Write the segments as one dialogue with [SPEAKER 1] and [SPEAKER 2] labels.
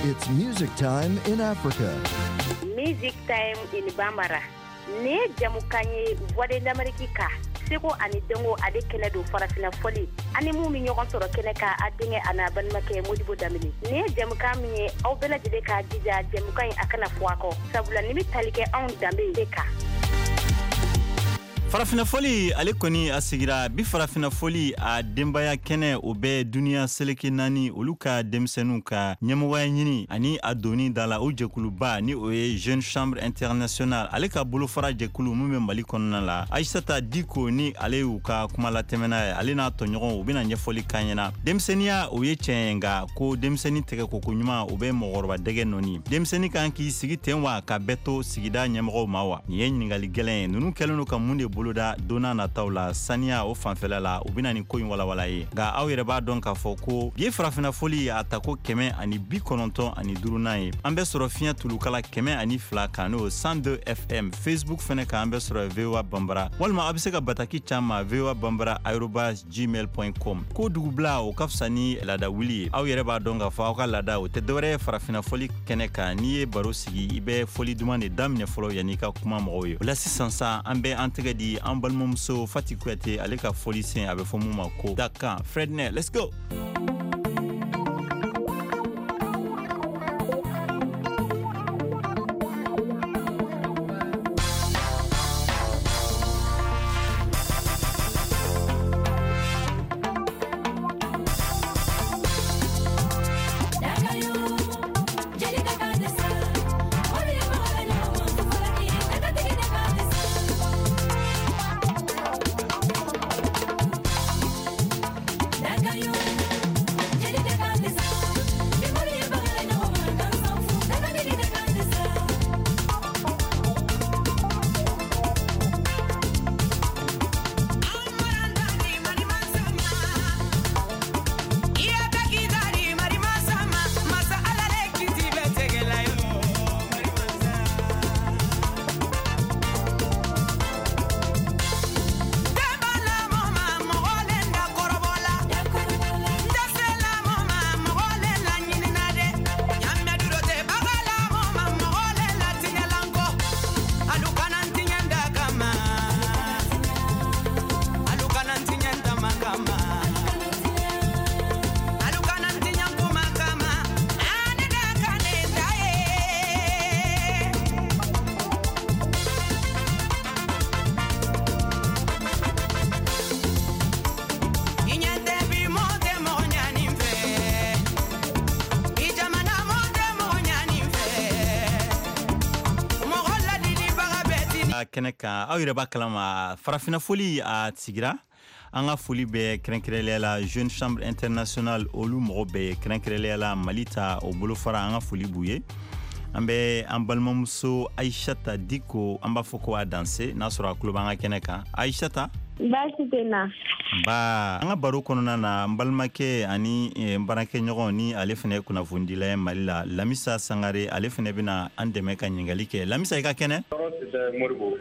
[SPEAKER 1] It's music time in Africa.
[SPEAKER 2] Music Time in Bambara. Nin ye jamukan ye Voix de l'Amérique ka seko ani dɔnko ale kɛnɛ don farafina fɔli ani mun bɛ ɲɔgɔn sɔrɔ kɛnɛ kan a denkɛ a n'a balimakɛ Modibo Danbele. Nin ye jamukan min ye aw bɛɛ lajɛlen k'a jija jamukan in a kana fɔ a kɔ sabula nin bɛ tali kɛ anw danbe de kan.
[SPEAKER 3] Farafinna fɔli ale kɔni a sigira bi. Farafinna fɔli a denbaya kɛnɛ o bɛ duniya seleke naani olu ka denmisɛnninw ka ɲɛmɔgɔya ɲini ani a doni da la o jɛkuluba ni o ye Jeune Chambre Internationale ale ka bolofara jɛkulu min bɛ Mali kɔnɔna la. Ayisata Diko ni ale y'u ka kumalatɛmɛna ye, ale n'a tɔɲɔgɔnw u bɛna ɲɛfɔli k'an ɲɛna. Denmisɛnninya o ye tiɲɛ ye, nka ko denmisɛnnin tɛgɛ ko ko ɲuman o bɛ mɔgɔkɔrɔba dɛgɛ nɔni. Denmisɛnnin kan k'i sigi ten wa ka bɛɛ to sigida ɲɛmɔgɔw ma wa? Nin ye ɲininkali gɛlɛn ye. Ninnu kɛlen don ka mun de boloda don n'a nataw la saniya o fanfɛla la? U bɛna nin ko in walawala ye. Nka aw yɛrɛ b'a dɔn k'a fɔ ko bi ye farafinna fɔli a tako 195nan ye. An bɛ sɔrɔ fiɲɛ tulukala 102 kan, n'o 102 FM. Facebook fɛnɛ kan an bɛ sɔrɔ VOA Bambara, walima aw bɛ se ka bataki caman VOA Bambara arobase gmail point com. Ko dugubila o ka fisa ni laada wuli ye. Aw yɛrɛ b'a dɔn k'a fɔ aw ka laada o tɛ dɔwɛrɛ ye farafinna fɔli kɛnɛ kan. N'i ye baro sigi, i bɛ fɔli duman de daminɛ fɔlɔ yanni i ka kuma mɔgɔw ye. O la sisan sa, an bɛ an tɛgɛ di an balimamuso Fati Kuyate, ale ka fɔli sen a bɛ fɔ mun ma ko dakan. Frednɛ, let's go. Kɛnɛ kan, aw yɛrɛ b'a kalama farafinna foli a sigira. An ka foli bɛ kɛrɛnkɛrɛnnenya la Jeune Chambre Internationale olu mɔgɔ bɛɛ ye, kɛrɛnkɛrɛnnenya la Mali ta o bolofara, an ka foli b'u ye. An bɛ an balimamuso Ayisata Diko, an b'a fɔ ko a danse n'a sɔrɔ a tulo b'an ka kɛnɛ kan. Ayisata.
[SPEAKER 4] Baasi tɛ na.
[SPEAKER 3] Ba an ka baro kɔnɔna na, n balimakɛ ani n baarakɛɲɔgɔn ni ale fana ye kunnafonidila ye Mali la, Lamisa Sangare, ale fana bɛna an dɛmɛ ka ɲininkali kɛ. Lamisa, i ka kɛnɛ?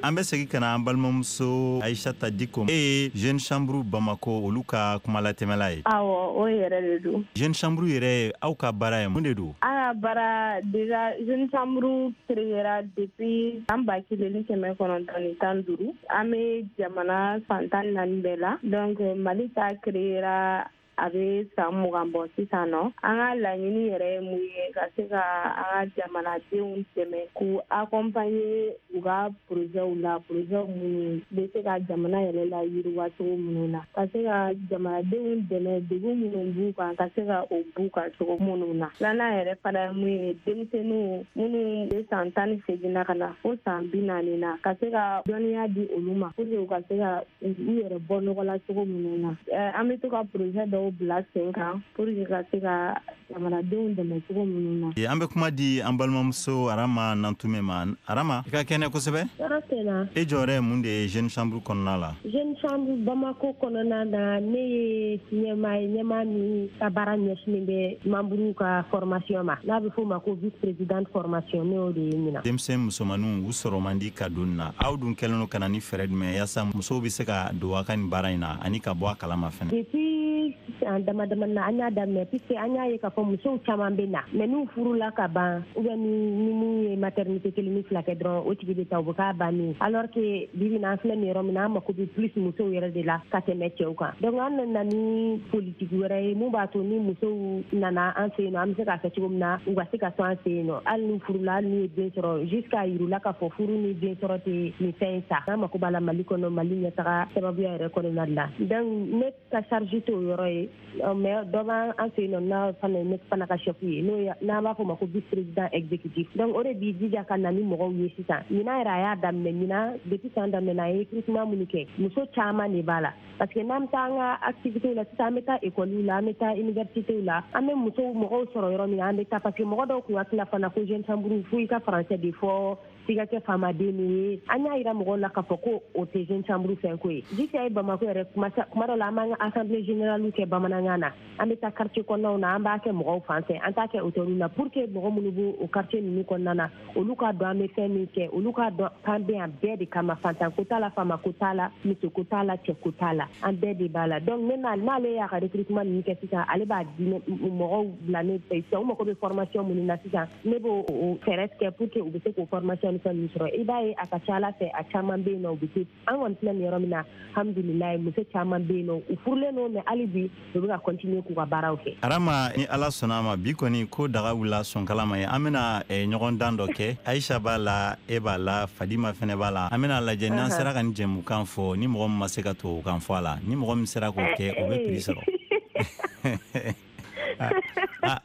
[SPEAKER 3] An bɛ segin ka na an balimamuso Ayisata Diko. E ye Jeune Chambre Bamako olu ka kumalatɛmɛla ye.
[SPEAKER 4] Awɔ, o yɛrɛ de don.
[SPEAKER 3] Jeune Chambre yɛrɛ, aw ka baara ye mun de don?
[SPEAKER 4] An ka baara déjà, Jeune Chambre créera depuis an 1915. An bɛ jamana fan 14 bɛɛ la. Donc Mali ta créera a bɛ san 20 bɔ sisan nɔ. An ka laɲini yɛrɛ ye mun ye? Ka se ka an ka jamanadenw dɛmɛ k'u accompagner u ka projetw la, projet minnu bɛ se ka jamana yɛrɛ la yiriwa cogo minnu na, ka se ka jamanadenw dɛmɛ degun minnu b'u kan, ka se ka o b'u kan cogo minnu na. Filanan yɛrɛ fana ye mun ye? Denmisɛnninw minnu bɛ san 18 na ka na fo san 40 na, ka se ka dɔnniya di olu ma pour que u ka se ka u yɛrɛ bɔ nɔgɔ la cogo minnu na. An bɛ to ka projet dɔw bila sen kan pour que ka se ka jamanadenw dɛmɛ cogo minnu na.
[SPEAKER 3] An bɛ kuma di an balimamuso Arama Nantume ma. Arama, i ka kɛnɛ kosɛbɛ.
[SPEAKER 5] Tɔɔrɔ tɛ na.
[SPEAKER 3] E jɔyɔrɔ ye mun de ye Jeune Chambre kɔnɔna la?
[SPEAKER 5] Jeune Chambre Bamako kɔnɔna na, ne ye ɲɛmaa ye, ɲɛmaa min ka baara ɲɛsinnen bɛ membre ka formation ma, n'a bɛ f'o ma ko vice présidente formation. Ne y'o de ye ɲinan.
[SPEAKER 3] Denmisɛn musomaninw u sɔrɔ man di ka don na. Aw dun kɛlen don ka na ni fɛɛrɛ jumɛn yaasa musow bɛ se ka don a ka nin baara in na ani ka bɔ a kalama fɛnɛ?
[SPEAKER 5] Depuis an dama dama na, an y'a daminɛ puisque an y'a ye k'a fɔ musow caman bɛ na, mais n'u furula ka ban, ou bien ni mun ye maternité kelen ni fila kɛ dɔrɔn, o tigi bɛ taa, o bɛ k'a bannen. Alors que bi bi in na, an filɛ nin yɔrɔ min na, an mako bɛ plus musow yɛrɛ de la ka tɛmɛ cɛw kan. Donc an nana ni politique wɛrɛ ye mun b'a to ni musow nana an fɛ yen nɔ, an bɛ se k'a kɛ cogo min na u ka se ka to an fɛ yen nɔ, hali n'u furula, hali n'u ye den sɔrɔ, jusqu'à yir'u la k'a fɔ furu ni den sɔrɔ tɛ nin fɛn in sa. An mako b'a la Mali kɔnɔ, Mali ɲɛtaga sababuya yɛrɛ kɔnɔna la. Donc ne ka charge t'o yɔrɔ ye, mais dɔ b'an fɛ yen nɔ, n'a fana ne fana ka chef ye, n'o ye n'an b'a fɔ o ma ko vice président exécutif. Donc o de b'i jija ka na ni mɔgɔw ye. Sisan, ɲinan yɛrɛ, a y'a daminɛ ɲinan, depuis san daminɛ, a ye recrutement minnu kɛ, muso caman de b'a la, parce que n'an bɛ taa an ka activité la sisan, an bɛ taa école la, an bɛ taa université la, an bɛ musow mɔgɔw sɔrɔ yɔrɔ min na, an bɛ taa, parce que mɔgɔ dɔw kun hakili la fana ko Jeune Chambre, fo i ka français de fɔ, f'i ka kɛ faamaden de ye. An y'a yira mɔgɔw la k'a fɔ ko o tɛ Jeune Chambre fɛn ko ye. Jusqu'à ye Bamako yɛrɛ, kuma dɔ la, an b'an ka assemblée générale kɛ bamanankan na, an bɛ taa quartier kɔnɔnaw na, an b'a kɛ mɔgɔw fan fɛ, an t'a kɛ hôtel la, pour que mɔgɔ minnu b'o o quartier ninnu kɔnɔna na, olu k'a dɔn an bɛ fɛn min kɛ, olu k'a dɔn k'an bɛ yan bɛɛ de kama. Fantan ko t'a la, faama ko t'a la, muso ko t'a la, cɛ ko t'a la, an bɛɛ de b'a la. Donc ne n'ale y'a ka recrutement ninnu kɛ sisan, ale b'a di mɔgɔw bila ne fɛ sisan. U mago bɛ formation minnu na sisan, ne b'o fɛɛrɛ tigɛ pour que u bɛ se k'o formation ni fɛn ninnu sɔrɔ. I b'a ye, a ka ca Ala fɛ, a caman bɛ yen nɔ, u bɛ se. An kɔni filɛ nin yɔrɔ min na, alhamdulilayi, muso caman bɛ yen nɔ, u furulen don, mais hali bi u bɛ ka continuer k'u ka baaraw kɛ.
[SPEAKER 3] Arama, ni Ala sɔnna a ma, bi kɔni ko daga wulila sɔnkala ma ye. An bɛna ɲɔgɔn dan dɔ kɛ. Ayisa b'a la, e b'a la, Fadima fɛnɛ b'a la. An bɛna lajɛ n'an sera ka nin jɛmukan fɔ, ni mɔgɔ min ma se ka tubabukan fɔ a la, ni mɔgɔ min sera k'o kɛ, o bɛ prix sɔrɔ.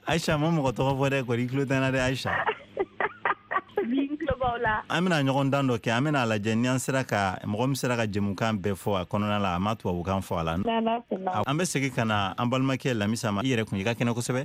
[SPEAKER 3] Ayisa ma mɔgɔ tɔgɔ fɔ dɛ, kɔni i tulo tɛ n na dɛ, Ayisa. An bɛna ɲɔgɔn dan dɔ kɛ. An bɛna lajɛ ni an sera ka mɔgɔ min sera ka jɛmukan bɛɛ fɔ a kɔnɔna la, a ma tubabukan fɔ a la. An bɛ segin ka na an balimakɛ Lamisa ma. I yɛrɛ kun, i ka kɛnɛ kosɛbɛ.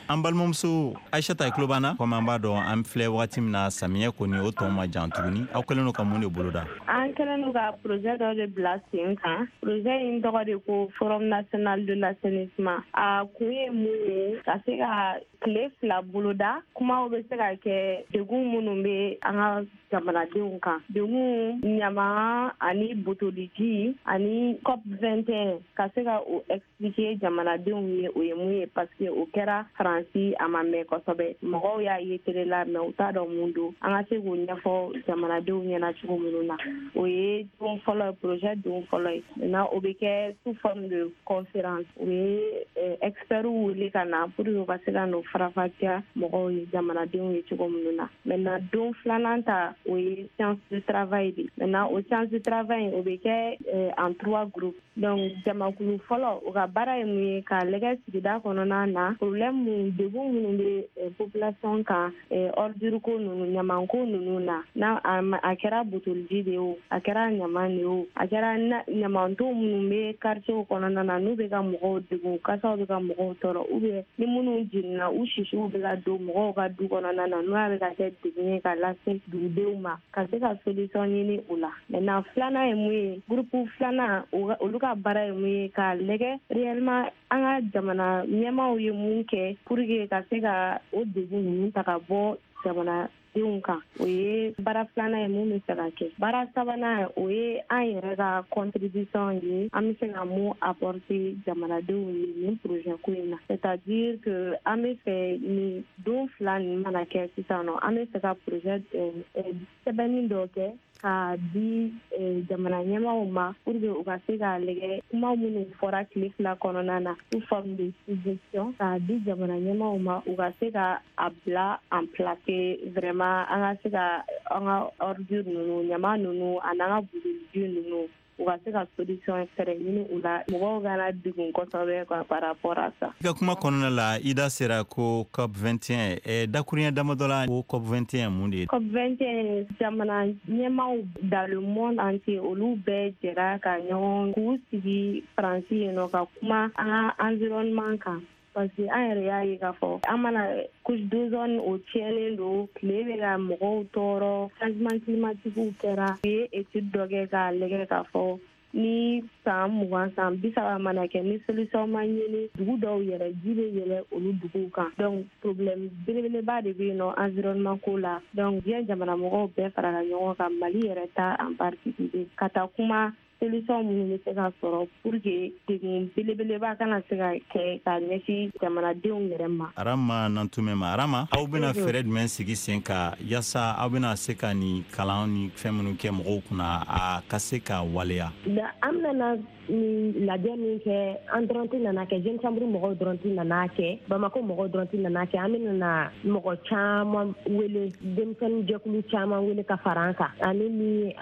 [SPEAKER 3] An balimamuso Ayisata, i tulo b'an na? Komi an b'a dɔn, an filɛ wagati min na, samiyɛ kɔni o tɔ ma jan tuguni. Aw kɛlen don ka mun de boloda?
[SPEAKER 4] An kɛlen don ka projet dɔ de bila sen kan. Projet in tɔgɔ de ko Forum national de l'assainissement. A kun ye mun ye? Ka se ka tile 2 boloda, kumaw bɛ se ka kɛ degun minnu bɛ an ka jamanadenw kan, degun ɲama ani botoliji ani COP 21, ka se ka o expliquer jamanadenw ye, o ye mun ye, parce que o kɛra Faransi, a ma mɛn kosɛbɛ, mɔgɔw y'a ye télé la, mais u t'a dɔn mun don. An ka se k'o ɲɛfɔ jamanadenw ɲɛna cogo minnu na, o ye don fɔlɔ ye, projet don fɔlɔ ye. Maintenant, o bɛ kɛ sous forme de conférence. U ye experts wele ka na pour que u ka se ka n'o faranfasiya mɔgɔw ye, jamanadenw ye cogo minnu na. Maintenant, don filanan ta, o ye séance de travail de. Maintenant, o séance de travail, o bɛ kɛ en trois groupes. Donc jamakulu fɔlɔ, o ka baara ye mun ye? K'a lajɛ sigida kɔnɔna na, problème mun, degun minnu bɛ population kan, ordure ko ninnu, ɲamanko ninnu na, n'a a kɛra botoliji de ye o, a kɛra ɲaman de ye o, a kɛra ɲamanton minnu bɛ quartier kɔnɔna na, n'u bɛ ka mɔgɔw degun, kasaw bɛ ka mɔgɔw tɔɔrɔ, ou bien ni minnu jiginna, u sisiw bɛ ka don mɔgɔw ka du kɔnɔna na, n'o bɛ ka kɛ degun ye ka lase dugudenw ma, ka se ka solution ɲini o la. Maintenant, filanan ye mun ye? Groupe filanan, olu ka baara ye mun ye? K'a lajɛ réellement an ka jamana ɲɛmaaw ye mun kɛ pour que ka se ka o degun ninnu ta ka bɔ jamanadenw kan. O ye baara filanan ye mun bɛ se ka kɛ. Baara sabanan, o ye an yɛrɛ ka contribution ye, an bɛ se ka mun apporter jamanadenw ye nin projet ko in na. C'est-à-dire que an bɛ fɛ nin don 2 ninnu mana kɛ sisan nɔ, an bɛ fɛ ka projet sɛbɛnni dɔ kɛ k'a di jamana ɲɛmaaw ma pour que u ka se k'a lajɛ kuma minnu fɔra tile 2 kɔnɔna na, sous forme de suggestion, k'a di jamana ɲɛmaaw ma, u ka se ka a bila en place vraiment, an ka se ka an ka ordure ninnu, ɲama ninnu, ani an ka butoliji ninnu, u ka se ka solution fɛrɛ ɲini u la, mɔgɔw kana degun kosɛbɛ quoi par rapport à ça.
[SPEAKER 3] I ka kuma kɔnɔna la, i da sera ko COP 21. Dakuruɲɛ damadɔ la, ko COP 21 mun de ye?
[SPEAKER 4] COP 21, jamana ɲɛmaaw dans le monde entier, olu bɛɛ jɛra ka ɲɔgɔn k'u sigi Faransi yen nɔ ka kuma an ka environnement kan, parce que an yɛrɛ y'a ye k'a fɔ an mana couche d'ozone, o tiɲɛnen don, tile bɛ ka mɔgɔw tɔɔrɔ, changement climatique kɛra. U ye étude dɔ kɛ k'a lajɛ k'a fɔ ni san 20, san 30 mana kɛ, ni solution ma ɲini, dugu dɔw yɛrɛ, ji bɛ yɛlɛ olu duguw kan. Donc problème belebeleba de bɛ yen nɔ environnement ko la. Donc diɲɛ jamana mɔgɔw bɛɛ farala ɲɔgɔn kan, Mali yɛrɛ ta en particulier, ka taa kuma. Solution minnu bɛ se ka sɔrɔ pour que degun belebeleba kana se ka kɛ ka ɲɛsin jamanadenw yɛrɛ ma.
[SPEAKER 3] Arama Nantumɛ ma, Arama, aw bɛna fɛɛrɛ jumɛn sigi sen kan yaasa aw bɛna se ka nin kalan ni fɛn minnu kɛ mɔgɔw kunna, a ka se ka waleya?
[SPEAKER 5] An bɛna nin lajɛ min kɛ, an dɔrɔn tɛ nana kɛ, Jeune Chambre mɔgɔw dɔrɔn tɛ nana kɛ, Bamako mɔgɔw dɔrɔn tɛ nana kɛ. An bɛna na mɔgɔ caman wele, denmisɛnnin jɛkulu caman wele ka fara an kan, ani ni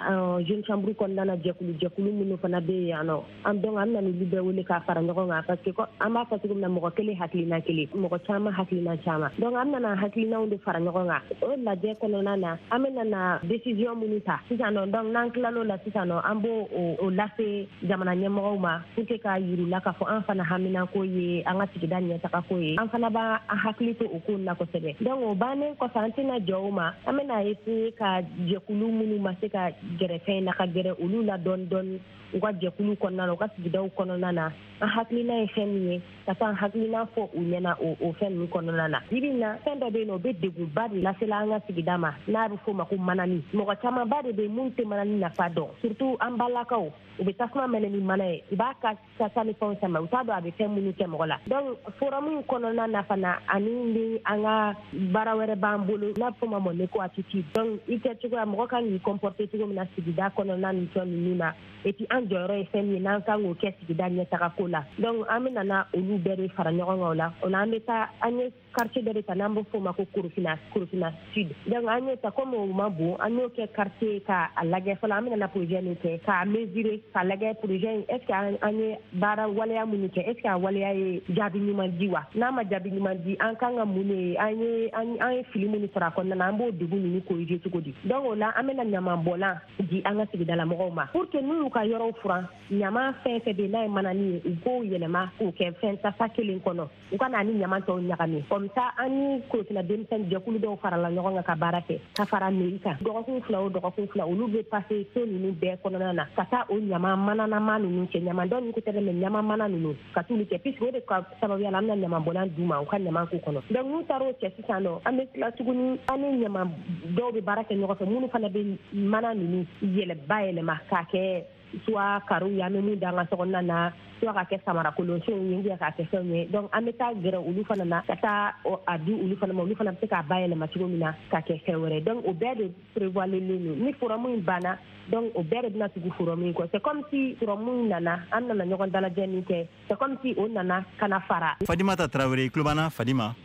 [SPEAKER 5] Jeune Chambre kɔnɔna na jɛkulu jɛkulu minnu fana bɛ yen nɔ. An donc an bɛna n'olu bɛɛ wele k'a fara ɲɔgɔn kan, parce que an b'a fɔ cogo min na, mɔgɔ kelen hakilina kelen, mɔgɔ caman hakilina caman. Donc an bɛna hakilinaw de fara ɲɔgɔn kan. O lajɛ kɔnɔna na, an bɛna na décision minnu ta sisan nɔ, donc n'an tilal'o la sisan nɔ, an b'o o lase jamana ɲɛmɔgɔw ma pour que k'a yir'u la k'a fɔ an fana haminako ye an ka sigida ɲɛtagako ye, an fana b'an hakili to o ko la kosɛbɛ. Donc o bannen kɔfɛ, an tɛna jɔ o ma, an bɛna essayer ka jɛkulu minnu ma se ka gɛrɛ fɛn na, ka gɛrɛ olu la dɔɔni dɔɔni, u ka jɛkulu kɔnɔna na, u ka sigidaw kɔnɔna na, an hakilina ye fɛn min ye, ka taa an hakilina fɔ u ɲɛna o fɛn ninnu kɔnɔna na. Bibi in na, fɛn dɔ bɛ yen nɔ, o bɛ degunba de lasela an ka sigida ma, n'a bɛ f'o ma ko manani. Mɔgɔ camanba de bɛ mun tɛ manani nafa dɔn, surtout an balakaw. U bɛ tasuma mɛnɛ ni mana ye, u b'a ka kasa ni fɛnw sama, u t'a dɔn a bɛ fɛn minnu kɛ mɔgɔ la. Donc forum in kɔnɔna na fana, ani ni an ka baara wɛrɛ b'an bolo n'a bɛ f'o ma mon éco attitude. Donc i kɛ cogoya, mɔgɔ kan k'i comporter cogo min na sigida kɔnɔna ni fɛn ninnu na, et puis an jɔyɔrɔ ye fɛn min ye n'an kan k'o kɛ sigida ɲɛtaga ko la. Donc an bɛ nana olu bɛɛ de fara ɲɔgɔn kan o la. O la, an bɛ taa, an ye quartier dɔ de ta n'an bɛ f'o ma ko Korofina, Korofina Sud. Donc an y'o ta, comme o ma bon, an y'o kɛ quartier k'a lajɛ fɔlɔ. An bɛna na projet min kɛ k'a mesurer, k'a lajɛ projet in, est ce que an ye baara waleya minnu kɛ, est ce que a waleya ye jaabi ɲuman di wa? N'a ma jaabi ɲuman di, an kan ka mun de, an ye fili minnu sɔrɔ a kɔnɔna na, an b'o degun ninnu corriger cogo di? Donc o la, an bɛna ɲamanbɔlan di an ka sigidala mɔgɔw ma pour que n'u y'u ka yɔrɔw furan, ɲama fɛn fɛn bɛ yen n'a ye manani ye, u k'o yɛlɛma k'o kɛ fɛn tasa kelen kɔnɔ, u ka na ni ɲama tɔw ɲagami. Comme ça, an ni Korofina denmisɛnnin jɛkulu dɔw farala ɲɔgɔn kan ka baara kɛ ka fara mairie kan. Dɔgɔkun 2 o dɔgɔkun 2, olu bɛ passer so ninnu bɛɛ kɔnɔna na ka taa o ɲama mananama ninnu cɛ, ɲama dɔ ninnu ko tɛ dɛ, mais ɲama mana ninnu, ka t'olu cɛ, puisque o de ka sababuya la an bɛna ɲamanbɔlan d'u ma u ka ɲama k'u kɔnɔ. Donc n'u taara o cɛ sisan nɔ, an bɛ tila tuguni, an ni ɲama dɔw bɛ baara kɛ ɲɔgɔn fɛ minnu fana bɛ mana ninnu yɛlɛ bayɛlɛma k'a kɛ soit carreau ye an bɛ mun da an ka sokɔnɔna na, soit ka kɛ samarakolonsenw ye, ou bien k'a kɛ fɛnw ye. Donc an bɛ taa gɛrɛ olu fana na ka taa a di olu fana ma, olu fana bɛ se k'a bayɛlɛma cogo min na ka kɛ fɛn wɛrɛ. Donc o bɛɛ de prévoirlen don. Ni forum in banna, donc o bɛɛ de bɛna tugu forum in kɔ. C'est comme si forum in nana, an nana ɲɔgɔn dalajɛ min kɛ, c'est comme si o nana ka na fara.
[SPEAKER 3] Fadimata Tarawele, i tulo b'an na, Fadima?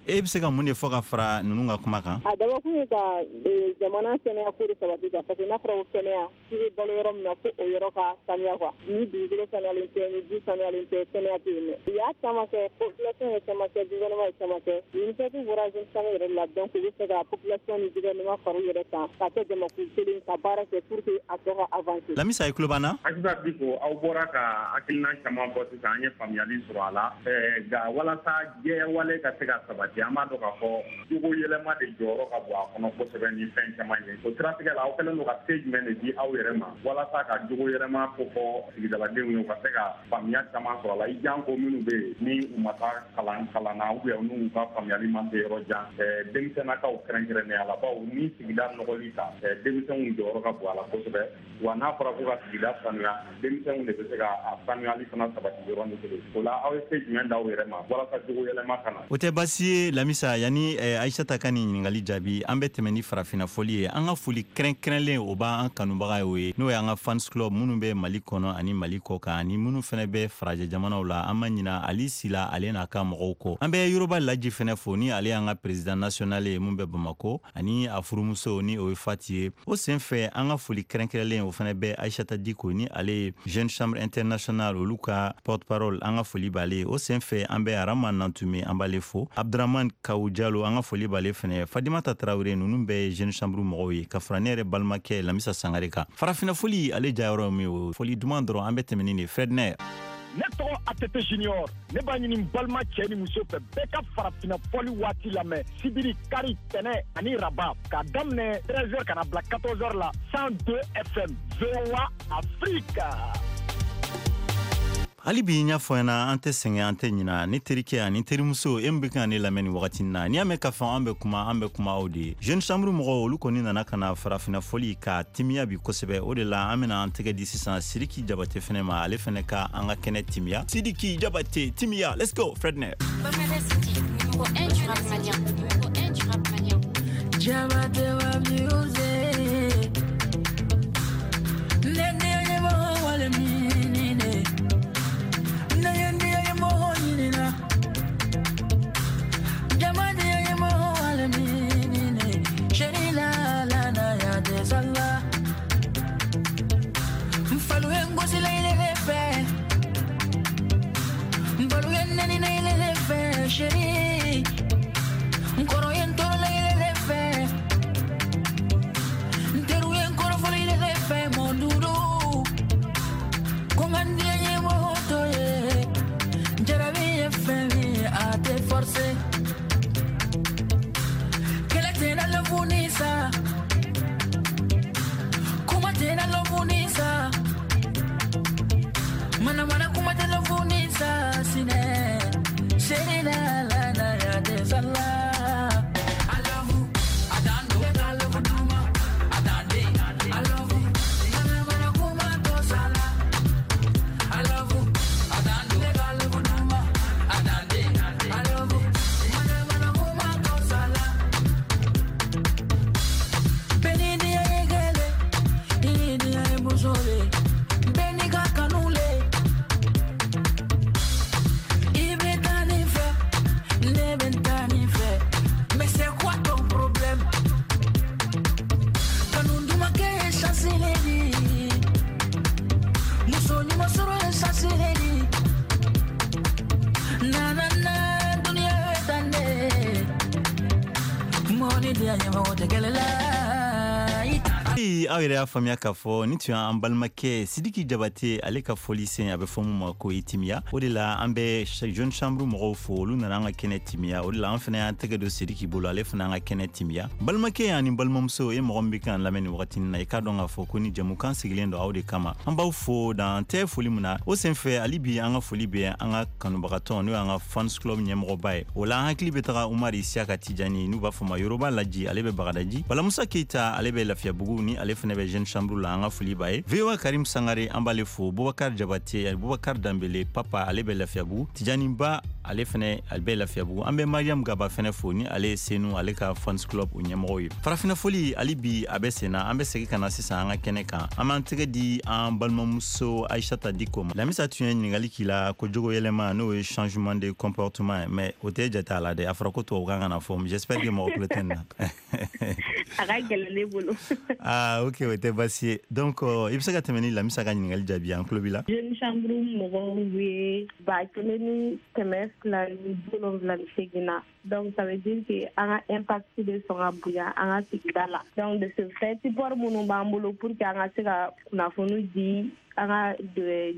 [SPEAKER 3] E bɛ se ka mun de fɔ ka fara ninnu ka kuma kan?
[SPEAKER 6] A dabɔkun ye ka jamana kɛnɛya ko de sabati quoi, parce que n'a fɔra ko kɛnɛya, k'i bɛ balo yɔrɔ min na, fo o yɔrɔ ka saniya quoi. Ni dugukolo saniyalen tɛ, ni ji saniyalen tɛ, kɛnɛya tɛ yen nɔ. U y'a caman kɛ, population ye caman kɛ, gouvernement ye caman kɛ. Initiative bɔra Jeune Chambre yɛrɛ la. Donc u bɛ fɛ ka population ni gouvernement fara u yɛrɛ kan ka kɛ jamakulu kelen ka baara kɛ pour que a tɔ ka avancer.
[SPEAKER 3] Lamisa, i tulo b'an na?
[SPEAKER 7] Asisa Biko, aw bɔra ka hakilina caman fɔ sisan, an ye faamuyali sɔrɔ a la. Nka walasa jɛyawale ka se ka sabati, an b'a dɔn k'a fɔ jogo yɛlɛma de jɔyɔrɔ ka bon a kɔnɔ kosɛbɛ ni fɛn caman ye. O siratigɛ la, aw kɛlen don ka se jumɛn de di aw yɛrɛ ma walasa ka jogo yɛlɛma kofɔ sigidaladenw ye, u ka se ka faamuya caman sɔrɔ a la, i janko minnu bɛ yen ni u ma taa kalan kalan na, ou bien n'u ka faamuyali ma se yɔrɔ jan, denmisɛnnakaw kɛrɛnkɛrɛnnenya la? Bawo ni sigida nɔgɔli ta, denmisɛnw jɔyɔrɔ ka bon a la kosɛbɛ. Wa n'a fɔra ko ka sigida sanuya, denmisɛnw de bɛ se ka a sanuyali fana sabati yɔrɔnin kelen. O la, aw ye se jumɛn d'aw yɛrɛ ma walasa jogo yɛlɛma ka na?
[SPEAKER 3] O tɛ baasi ye, Lamisa. Yanni Ayisata ka nin ɲininkali jaabi, an bɛ tɛmɛ ni farafinna fɔli ye. An ka foli kɛrɛnkɛrɛnlen, o b'an kanubaga ye, o ye n'o ye an ka fans club minnu bɛ Mali kɔnɔ ani Mali kɔ kan, ani minnu fɛnɛ bɛ farajɛ jamanaw la. An ma ɲina Ali Sila, ale n'a ka mɔgɔw kɔ. An bɛ Yoroba Laji fɛnɛ fo, ni ale y'an ka président national ye mun bɛ Bamako, ani a furumuso ni o ye Fati ye. O sen fɛ, an ka foli kɛrɛnkɛrɛnlen, o fɛnɛ bɛ Ayisata Diko, ni ale ye Jeune Chambre Internationale olu ka porte parole. An ka foli b'ale ye. O sen fɛ, an bɛ Arama Nantume, an b'ale fo, Abduraman Kawu Jalo, an ka foli b'ale fɛnɛ, Fadimata Tarawele. Ninnu bɛɛ ye Jeune Chambre mɔgɔw ye, ka fara ne yɛrɛ balimakɛ Lamisa Sangare kan. Farafinna foli, ale jayɔrɔ min o foli duman dɔrɔn, an bɛ tɛmɛ ni de Fredner.
[SPEAKER 8] Ne tɔgɔ ATT Junior. Ne b'a ɲini n balima cɛ ni muso fɛ, bɛɛ ka farafinna fɔli waati lamɛn sibiri, kari, tɛnɛ ani raba, k'a daminɛ 13h ka na bila 14h la, 102 FM, VOA Afrique.
[SPEAKER 3] Hali bi n y'a fɔ ɲɛna, an tɛ sɛgɛn, an tɛ ɲina. Ne terikɛ ani terimuso, e min bɛ ka ne lamɛn nin wagati na, n'i y'a mɛn k'a fɔ an bɛ kuma, an bɛ kuma aw de ye. Jeune Chambre mɔgɔw, olu kɔni nana ka na farafinna fɔli ka timiya bi kosɛbɛ. O de la an bɛna an tɛgɛ di sisan Sidiki Jabate fɛnɛ ma, ale fɛnɛ ka an ka kɛnɛ timiya. Sidiki Jabate timiya, let's go Fredner.
[SPEAKER 9] City, numéro 1 du rap malien, numéro 1 du rap malien.
[SPEAKER 10] Jabate wa music. Nene mo wale minine. Nene mo minina. Jabate mo wale minine. Sherila la na ya de sala. Mfalu ngosi la ile fe. Mfalu nene na ile fe sheri. Nkoro yentoro la ile fe. Nteru yenkoro fo ile fe monduru. Kongandi ye moto ye. Jarabi ye fe mi a te forcer. Kele tena lo funisa. Kuma tena lo funisa. Mana mana kuma tena lo funisa sine. Sherina la na ya de sala. I love you. I don't know. I love you. I don't I love you. Mana mana kuma to sala. I love you. I don't know. I love you. I don't I love you. Mana mana kuma to sala. Beni dia egele, ini dia ebusole. Beni kakanule. Mais c'est quoi ton problème? Kanunduma ke chanceledi. Musoni masoro chanceledi. Na na na dunia etande. Moni dia nyama tekelela.
[SPEAKER 3] Aw yɛrɛ y'a faamuya k'a fɔ ni tun y'an balimakɛ Sidiki Jabate, ale ka fɔli sen a bɛ fɔ mun ma ko i timiya. O de la an bɛ Jeune Chambre mɔgɔw fo, olu nana an ka kɛnɛ timiya. O de la an fana y'an tɛgɛ don Sidiki bolo, ale fana an ka kɛnɛ timiya. Balimakɛ ani balimamuso, e mɔgɔ min bɛ k'an lamɛn nin wagati na, i k'a dɔn k'a fɔ ko ni jɛmukan sigilen don aw de kama. An b'aw fo dan tɛ foli min na. O senfɛ hali bi an ka foli bɛ an ka kanubagatɔ, n'o y'an ka fans club ɲɛmɔgɔba ye. O la an hakili bɛ taga Umar Isiaka Tijani, n'u b'a fɔ ma Yoroba Laji, ale bɛ Bagadaji. Balamusa Keita, ale bɛ Lafiyabugu, ni ale fana bɛ Jeune Chambre la, an ka foli b'a ye. VOA Karim Sangare, an b'ale fo. Bubakar Jabate, Bubakar Dambele Papa, ale bɛ Lafiyabugu. Tijani Ba, ale fana ale bɛ Lafiyabugu. An bɛ Mariam Gaba fana fo, ni ale ye Senu, ale ka fans club o ɲɛmɔgɔ ye. Farafinna foli hali bi a bɛ sen na. An bɛ segin ka na sisan an ka kɛnɛ kan. An b'an tɛgɛ di an balimamuso Aïssata Diko ma. Lamisa tun ye ɲininkali k'i la ko jogo yɛlɛma, n'o ye changement de comportement ye, mais o tɛ jate a la dɛ. A fɔra ko tubabukan kana fɔ. J'espère que mɔgɔ tulo tɛ nin na.
[SPEAKER 4] A ka gɛlɛn ne bolo.
[SPEAKER 3] Ah ok, o tɛ baasi ye. Donc i bɛ se ka tɛmɛ ni Lamisa ka ɲininkali jaabi, an tulo b'i la.
[SPEAKER 4] Jeune Chambre mɔgɔw ye 1278 na. Donc ça veut dire que an ka impact bɛ sɔn ka bonya an ka sigida la. Donc de ce fait, support minnu b'an bolo pour que an ka se ka kunnafoni di an ka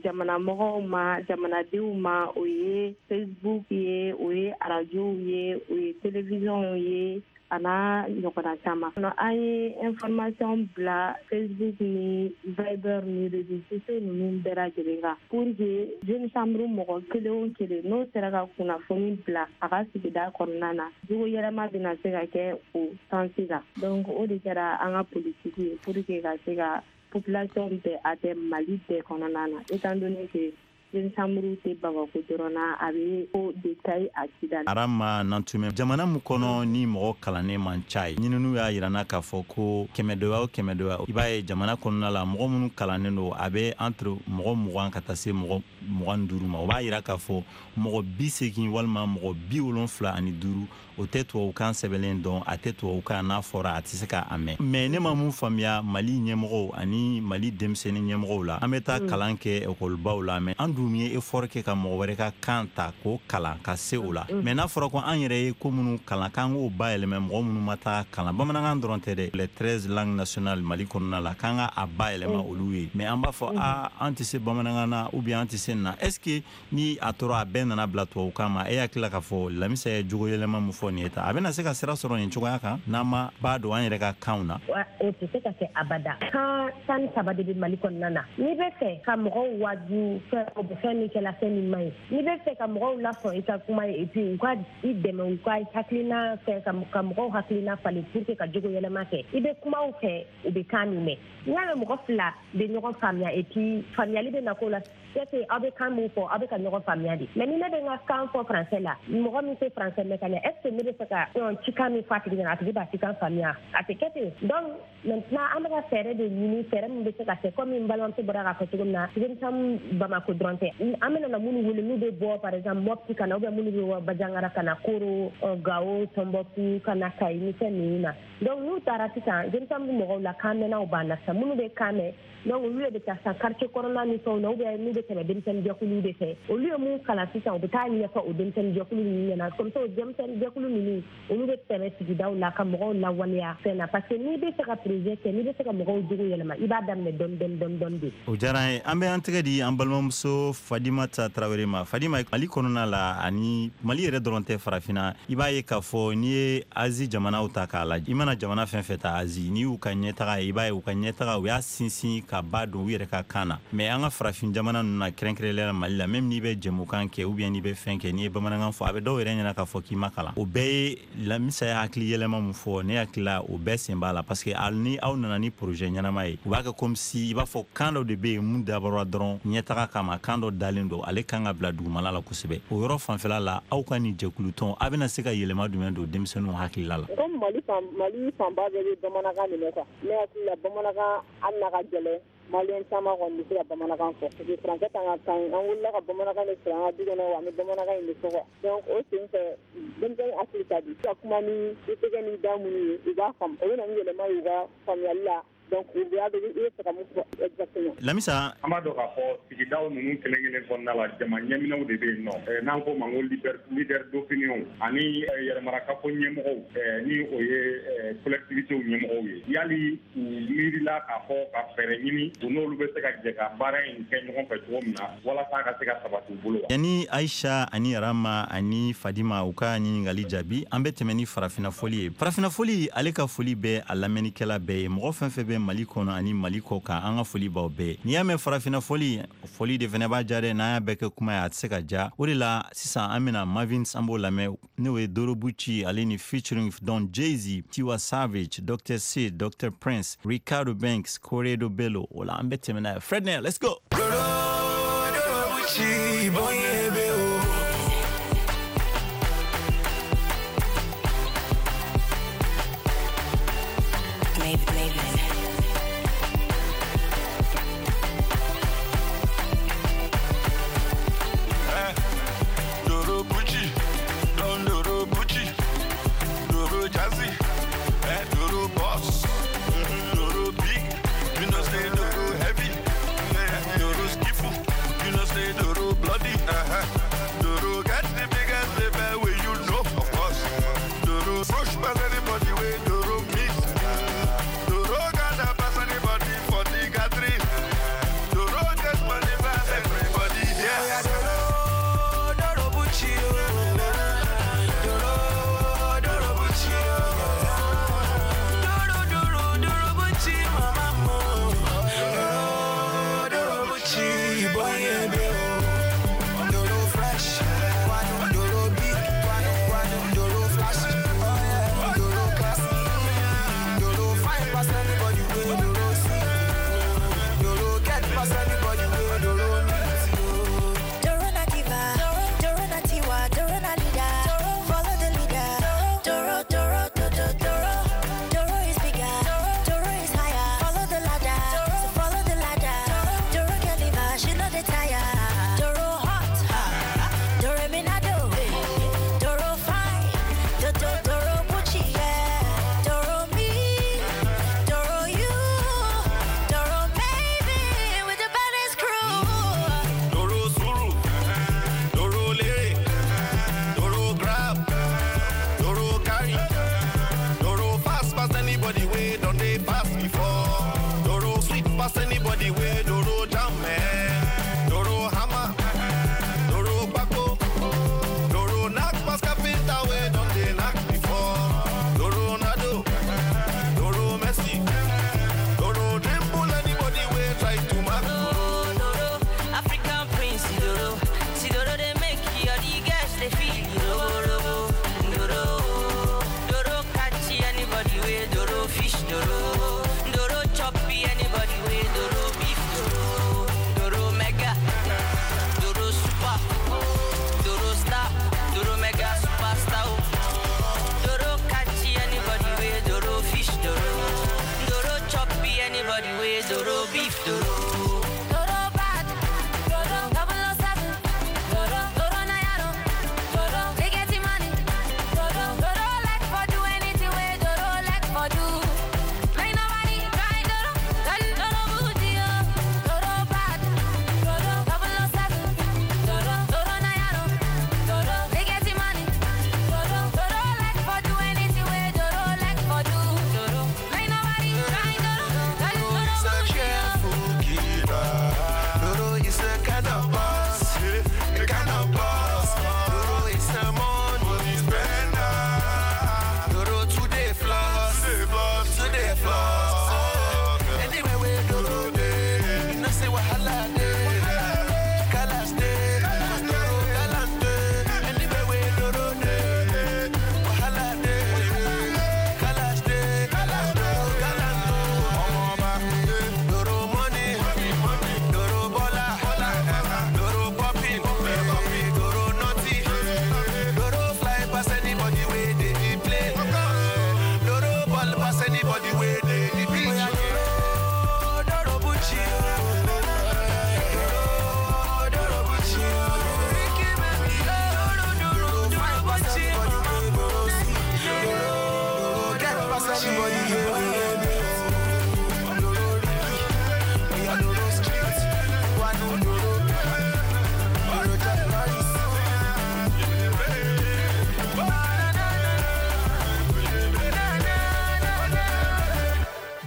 [SPEAKER 4] jamana mɔgɔw ma, jamanadenw ma, o ye Facebook ye, o ye arajow ye, o ye télévision ye, a n'a ɲɔgɔnna caman. An ye information bila Facebook ni Viber ni réseaux sociaux ninnu bɛɛ lajɛlen kan pour que Jeune Chambre mɔgɔ kelen o kelen n'o sera ka kunnafoni bila a ka sigida kɔnɔna na, jogo yɛlɛma bɛna se ka kɛ o sens la. Donc o de kɛra an ka politique ye pour que ka se ka population bɛɛ atteindre Mali bɛɛ kɔnɔna na, étant donné que Jeune Chambre tɛ Bamakɔ dɔrɔn na, a bɛ ko de Kayi a Kidali.
[SPEAKER 3] Arama Nantumɛ, jamana min kɔnɔ ni mɔgɔ kalannen man ca ye, ɲininiw y'a yira n na k'a fɔ ko kɛmɛ o kɛmɛ, i b'a ye jamana kɔnɔna la, mɔgɔ minnu kalannen don, a bɛ entre mɔgɔ 20 ka taa se mɔgɔ 25 ma. O b'a yira k'a fɔ mɔgɔ 80 walima mɔgɔ 75, o tɛ tubabukan sɛbɛnlen dɔn, a tɛ tubabukan n'a fɔra a tɛ se k'a mɛn. Mais ne ma mun faamuya Mali ɲɛmɔgɔw ani Mali denmisɛnnin ɲɛmɔgɔw la, an bɛ taa kalan kɛ ekɔlibaw la, mais an dun ye effort kɛ ka mɔgɔ wɛrɛ ka kan ta k'o kalan ka se o la. Mais n'a fɔra ko an yɛrɛ ye ko minnu kalan, k'an k'o bayɛlɛmɛ mɔgɔ minnu ma taa kalan, bamanankan dɔrɔn tɛ dɛ, les 13 langues nationales Mali kɔnɔna la, k'an ka a bayɛlɛma olu ye, mais an b'a fɔ a an tɛ se bamanankan na ou bien an tɛ se nin na. Est ce que ni a tora a bɛɛ nana bila tubabukan ma, e hakili la k'a fɔ Lamisa ye jogo yɛlɛma min fɔ nin ye tan, a bɛna se ka sira sɔrɔ nin cogoya kan n'an ma ba don an yɛrɛ ka kanw na?
[SPEAKER 5] O tɛ se ka kɛ abada. Kan 13 de bɛ Mali kɔnɔna na. N'i bɛ fɛ ka mɔgɔw waaju fɛn min kɛla, fɛn min man ɲi, n'i bɛ fɛ ka mɔgɔw lasɔn i ka kuma ye, et puis u ka i dɛmɛ, u ka hakilina fɛ, ka mɔgɔw hakilina falen pour que ka jogo yɛlɛma kɛ, i bɛ kuma u fɛ, u bɛ kan min mɛn. N'i y'a mɛn mɔgɔ fila bɛ ɲɔgɔn faamuya, et puis faamuyali bɛ na k'o la, c'est que aw bɛ kan min fɔ, aw bɛ ka ɲɔgɔn faamuya de. Mais ni ne bɛ n ka kan fɔ français la, mɔgɔ min tɛ français mɛn ka ɲɛ, est ce que ne bɛ fɛ ka cikan min fɔ a tigi ɲɛna, a tigi b'a cikan faamuya? A tɛ kɛ ten. Donc maintenant an bɛ ka fɛɛrɛ de ɲini, fɛɛrɛ min bɛ se ka kɛ comme n balimamuso bɔra k'a fɔ cogo min na, denmisɛnnin Bamako dɔrɔn tɛ, an bɛna na minnu wele n'u bɛ bɔ par exemple Mopti ka na, ou bien minnu bɛ bɔ Bandiagara ka na, Koro, Gao, Tombouctou ka na, Kayi ni fɛn ninnu na. Donc n'u taara sisan, denmisɛnnin mɔgɔw la kan mɛnnaw b'an na sisan, minnu bɛ kan mɛn, donc olu de bɛ taa sisan quartier kɔnɔna ni fɛnw na, ou bien n'u bɛ tɛmɛ denmisɛnnin jɛkuluw de fɛ, olu ye mun kalan sisan, u bɛ taa ɲɛfɔ o denmisɛnnin jɛkulu ninnu ɲɛna. Comme ça o denmisɛnnin jɛkulu ninnu, olu bɛ tɛmɛ sigidaw la ka mɔgɔw lawaleya fɛn na, parce que n'i bɛ fɛ ka projet kɛ, n'i bɛ fɛ ka mɔgɔw jogo yɛlɛma, i b'a daminɛ dɔɔni dɔɔni dɔɔni dɔɔni de.
[SPEAKER 3] O diyara an ye. An bɛ an tɛgɛ di an balimamuso Fadimata Tarawele ma. Fadima, Mali kɔnɔna la, ani Mali yɛrɛ dɔrɔn tɛ, farafinna, i b'a ye k'a fɔ n'i ye Azi jamanaw ta k'a lajɛ, i mana jamana fɛn fɛn ta Azi, n'i y'u ka ɲɛtaga ye, i b'a ye u ka ɲɛtaga, u y'a sinsin ka ba don u yɛrɛ ka kan na. Mais an ka farafin jamana ninnu na, kɛrɛnkɛrɛnnenya la Mali la, même n'i bɛ jɛmukan kɛ ou bien n'i bɛ fɛn kɛ, n'i ye bamanankan fɔ, a bɛ dɔw yɛrɛ ɲɛna k'a fɔ k'i ma kalan. O bɛɛ ye Lamisa ye hakili yɛlɛma min fɔ, ne hakili la o bɛɛ sen b'a la, parce que hali ni aw nana ni projet ɲɛnama ye, u b'a kɛ comme si i b'a fɔ kan dɔ de bɛ yen mun dabɔra dɔrɔn ɲɛtaga kama, kan dɔ dalen don, ale kan ka bila dugumala la kosɛbɛ. O yɔrɔ fanfɛla la, aw ka nin jɛkulutɔn, a bɛna se ka yɛlɛma jumɛn don denmisɛnninw hakilila la?
[SPEAKER 6] Comme Mali fanba bɛɛ bɛ bamanankan de mɛn quoi, ne hakili la bamanankan, hali n'a ka gɛlɛn, maliyɛn caman kɔni bɛ se ka bamanankan fɔ, parce que français t'an ka kan ye. An wulila ka bamanankan de sɔrɔ an ka du kɔnɔ, wa an bɛ bamanankan in de fɔ quoi. Donc o sen fɛ, denmisɛnnin hakili ka di ka kuma ni i tɛgɛ ni da minnu ye, u b'a faamu, o bɛ na ni yɛlɛma ye u ka faamuyali la. Donc u b'a dɔn i bɛ fɛ ka mun fɔ exactement.
[SPEAKER 3] Lamisa.
[SPEAKER 7] An b'a dɔn k'a fɔ sigidaw ninnu kelen kelen kɔnɔna la, jama ɲɛminɛw de bɛ yen nɔ, n'an ko ma ko leader d'opinion ani yɛrɛmarakafo ɲɛmɔgɔw, ni o ye collectivités ɲɛmɔgɔw ye. Yali u miirila k'a fɔ ka fɛɛrɛ ɲini u n'olu bɛ se ka jɛ ka baara in kɛ ɲɔgɔn fɛ cogo min na, walasa a ka se ka sabati u bolo wa?
[SPEAKER 3] Yanni Aisha ani Rama ani Fadima u ka ɲininkali jaabi, an bɛ tɛmɛ ni farafinna foli ye. Farafinna foli, ale ka foli bɛ a lamɛnnikɛla bɛɛ ye, mɔgɔ fɛn fɛn bɛ Mali kɔnɔ ani Mali kɔ kan, an ka foli b'aw bɛɛ. N'i y'a mɛn farafinna foli, foli de fɛnɛ b'a ja dɛ. N'an y'a bɛɛ kɛ kuma ye, a tɛ se ka ja. O de la sisan an bɛna Mavins, an b'o lamɛn, n'o ye Dorobucci ale ni featuring Don Jay-Z, Tiwa Savage, Dr. C, Dr. Prince, Ricardo Banks, Corredo Bello. O la an bɛ tɛmɛ n'a ye. Fredner, let's go.
[SPEAKER 11] Dorobucci, boy,
[SPEAKER 12] Bloody, uh-huh.
[SPEAKER 9] Doro bad, Doro 007, Doro Doro na yaro, Doro they getting money, Doro Doro like for do anything where Doro like for do. Make nobody try Doro, then Doro booty oh. Doro bad, Doro 007, Doro Doro na yaro, Doro they getting money, Doro Doro like for do anything where Doro like for do. Doro make nobody try Doro, then Doro
[SPEAKER 11] It's a
[SPEAKER 9] booty oh.
[SPEAKER 11] careful keeper. Doro is a kind of boss, a kind of boss. Doro is a money spender. Doro today floss, today floss. Anywhere where Doro dey, you know say wahala dey, kalash dey, 'cause Doro galante. Anywhere where Doro dey, wahala dey, kalash dey, Doro galante. Ọmọọba, Doro money, Doro bola, Doro popping, Doro naughty, Doro fly pass anybody wey dey the plane, Doro ball pass anybody wey dey the pitch. Doro, Doro Bucci, Doro, Doro Bucci, Ricky baby, Doro, Doro, Doro Bucci, Doro see, Doro get pass anybody wey dey meet. Doro Ricky, we are Doro street, one Doro, Doro Jack Norris.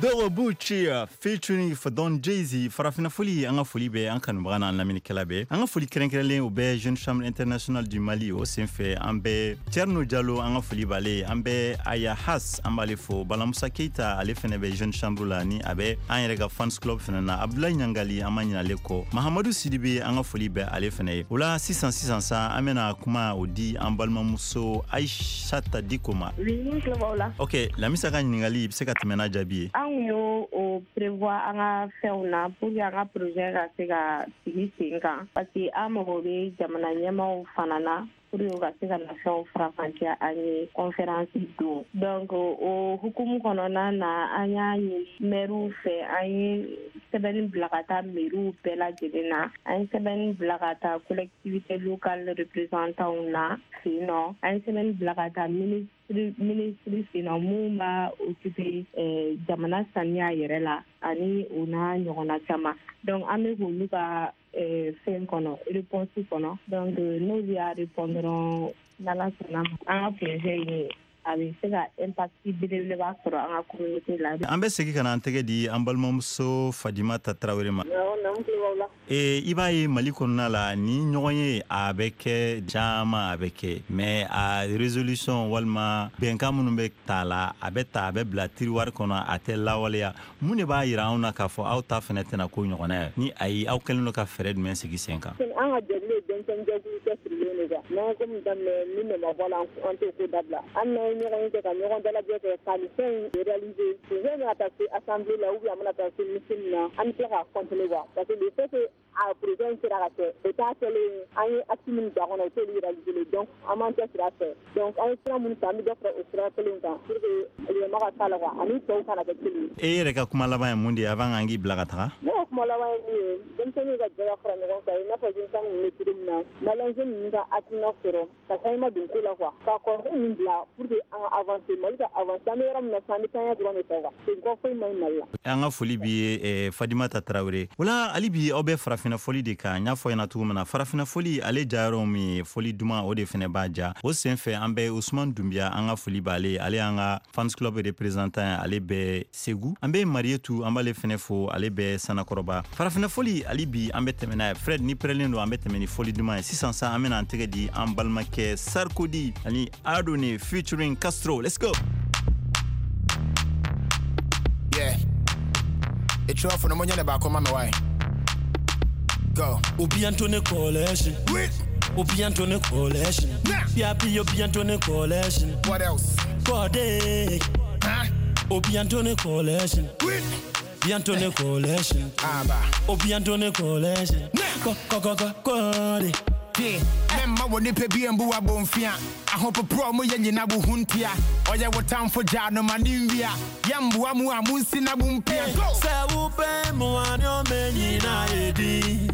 [SPEAKER 3] Doro Bucci featuring Fadon Jay-Z. Farafina foli, an ka foli bɛ an kanubaga n'an lamɛnnikɛla bɛɛ. An ka foli kɛrɛnkɛrɛnlen o bɛ Jeune Chambre Internationale du Mali. O senfɛ, an bɛ Thierno Diallo, an ka foli b'ale. An bɛ Aya Has, an b'ale fo. Balamusa Keita, ale fɛnɛ bɛ Jeune Chambre la, ni a bɛ an yɛrɛ ka fans club fɛnɛ na. Abdoulaye Ɲangali, an ma ɲinɛ ale kɔ. Mahamadu Sidibe, an ka foli bɛ ale fɛnɛ ye. O la sisan sisan sa, an bɛna kuma o di an balimamuso Aïchata Diko ma.
[SPEAKER 4] Oui, n tulo b'aw la.
[SPEAKER 3] Ok, Lamisa ka ɲininkali, i bɛ se ka tɛmɛ n'a jaabi ye.
[SPEAKER 4] An kun y'o o prévoir an ka fɛnw na pour que an ka projet ka se ka sigi sen kan, parce que an mago bɛ jamana ɲɛmaaw fana na pour que u ka se ka na fɛnw faranfasiya an ye conférence don. Donc o hukumu kɔnɔna na, an y'a ɲini maires fɛ, an ye sɛbɛnni bila ka taa maires bɛɛ lajɛlen na, an ye sɛbɛnni bila ka taa collectivité locale représentants na fɛ yen nɔ, an ye sɛbɛnni bila ka taa ministre fɛ yen nɔ mun b'a occuper jamana saniya yɛrɛ la, ani o n'a ɲɔgɔnna caman. Donc an bɛ k'olu ka fɛn kɔnɔ, réponse kɔnɔ. Donc n'olu y'a répondre dɔrɔn, n'Ala sɔnna ma, an ka projet in a bɛ se ka impact belebeleba sɔrɔ an ka communauté la.
[SPEAKER 3] An bɛ segin ka na an tɛgɛ di an balimamuso Fadimata Tarawele ma.
[SPEAKER 6] Awɔ, naamu, tulo b'aw la.
[SPEAKER 3] I b'a ye, Mali kɔnɔna la, ni ɲɔgɔn ye a bɛ kɛ caman, a bɛ kɛ, mais a résolution walima bɛnkan minnu bɛ ta la, a bɛ ta, a bɛ bila tiroir kɔnɔ, a tɛ lawaleya. Mun de b'a yira anw na k'a fɔ aw ta fɛnɛ tɛna ko ɲɔgɔnna ye? Ni ayi, aw kɛlen don ka fɛɛrɛ jumɛn sigi sen kan?
[SPEAKER 6] An ka jɛkulu ye denmisɛnnin jɛkulu cɛsirilen de quoi. N'an ye ko min daminɛ, ni nɔ ma bɔ a la, an t'o ko dabila. Hali n'an ye ɲɔgɔn ye kɛ ka ɲɔgɔn dalajɛ kɛ ka nin fɛn in réaliser, projet bɛna taa se assemblée la ou bien a bɛna taa se ministre min na, an bɛ tila k'a continuer quoi, parce que le fait que a projet in sera ka kɛ, o t'a kɛlen ye an ye acte minnu ta kɔnɔ, o t'olu réaliser. Donc an b'an cɛsiri a fɛ. Donc an ye sira minnu ta, an bɛ dɔ fara o sira kelen kan pour que yɛlɛma ka k'a la quoi, ani tɔw kana kɛ kelen ye.
[SPEAKER 3] E yɛrɛ ka kuma laban ye mun de ye avant k'an k'i bila ka taga?
[SPEAKER 6] Ne ka kuma laban ye min ye, denmisɛnninw ka jɛ ka fara ɲɔgɔn kan, i n'a fɔ denmisɛnnin ninnu bɛ cogo min na, malien ninnu ka hakilina sɔrɔ ka changement don ko la quoi, ka kɔrɔkɛ ninnu bila pour que an ka avancer, Mali ka avancer. An bɛ yɔrɔ min na sisan, an bɛ taaɲɛ dɔrɔn de fɛ quoi, parce que foyi man ɲi Mali la.
[SPEAKER 3] An ka foli b'i ye, Fadimata Tarawele. Wala hali bi aw bɛ farafinna fɔli de kan. N y'a fɔ ɲɛna cogo min na, farafinna fɔli ale jayɔrɔ min ye fɔli duman, o de fɛnɛ b'a ja. O sen fɛ, an bɛ Usman Dunbiya, an ka foli b'ale, ale y'an ka fans club représentant ye, ale bɛ Segu. An bɛ Marietu, an b'ale fɛnɛ fo, ale bɛ Sanakɔrɔba. Farafinna fɔli, hali bi an bɛ tɛmɛ n'a ye. Fred, ni pɛrɛlen don, an bɛ tɛmɛ ni fɔli duman ye sisan sa. An bɛna an tɛgɛ di an balimakɛ Sarkodi ani Adone featuring Castro. Let's go.
[SPEAKER 12] Yeah. It's rough for the money back on my way. Go.
[SPEAKER 13] Obi Antone Coalition.
[SPEAKER 12] Wait.
[SPEAKER 13] Obi Antone Coalition.
[SPEAKER 12] Nah.
[SPEAKER 13] Yapi Obi Antone Coalition.
[SPEAKER 12] What else?
[SPEAKER 13] Body.
[SPEAKER 12] Huh?
[SPEAKER 13] Obi Antone Coalition.
[SPEAKER 12] Wait.
[SPEAKER 13] Obi Antone Coalition.
[SPEAKER 12] Aba.
[SPEAKER 13] Obi Antone Coalition.
[SPEAKER 12] Nah.
[SPEAKER 13] Go go go go go.
[SPEAKER 12] Memma wo nipa bi mbu abomfia. Ahopopro mo ye nyina wo huntia. Oye wo tamfo gya no mani nwia. Yamboa mu a munsi na bumpia.
[SPEAKER 13] Se wo pe mu ani o menyi na edi.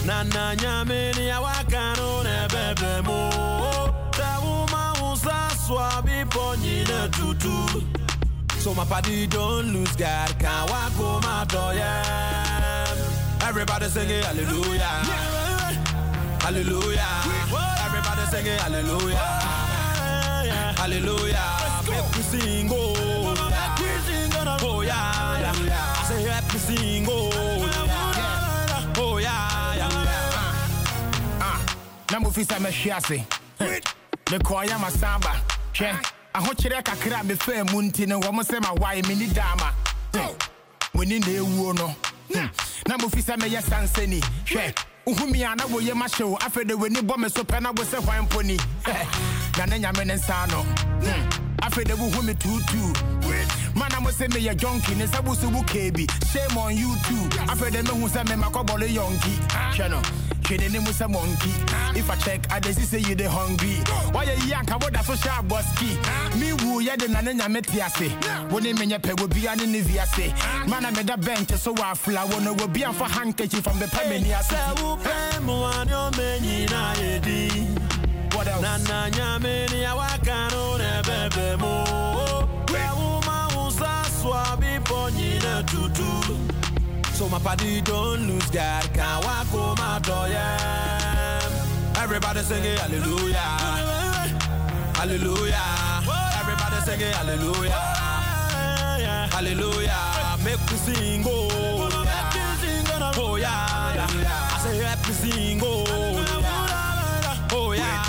[SPEAKER 13] Na na nyame ni awaka no na bebe mo. Se wo ma wo sa swa bi ponyi na tutu. So my party don't lose God, can't walk home my door, yeah. Everybody singing hallelujah, hallelujah. Everybody singing hallelujah, hallelujah. Make we sing, oh, oh yeah. I say happy sing, oh, oh yeah.
[SPEAKER 12] Na mufisa me hwiase. Me koya masamba. Hwe. Ahokyere kakra me fa mu nti ne wo mo se ma wai me ni dama. Woni na ewuo no. Na mufisa me ye sansani. Hwe. Uhumi ana wo ye ma hyewo afede wani bo me so pe na wo se hwan poni. Na ne nyame ne nsa no. Afede wo hu me tutu. Mana mo se me ye junkie ne sabusu bu kebi. Shame on you too. Afede me hu se me makobole yonki. Hwe no. Musa monkey. If I check, I dey see you dey hungry. Why you yanka what da social boski? Me woo ya de nane nyame tiase. Woni menye pe go bia ne ne viase. Man I made a bench so wa fla wo no go bia for handkerchief from the permini ase.
[SPEAKER 13] Se wo pe mu ani o menyi na edi.
[SPEAKER 12] What else?
[SPEAKER 13] Na na nyame ni awaka no na bebe mo. We wo ma wo sa swa bi ponyi na tutu. So my party don't lose God, can't walk home my door, yeah. Everybody singing hallelujah, hallelujah. Everybody singing hallelujah, hallelujah. Make we sing, oh, oh yeah. I say happy sing, oh, oh yeah.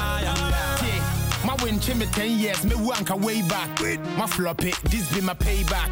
[SPEAKER 12] My win me 10 years, me wanka way back. My flop it, this be my payback.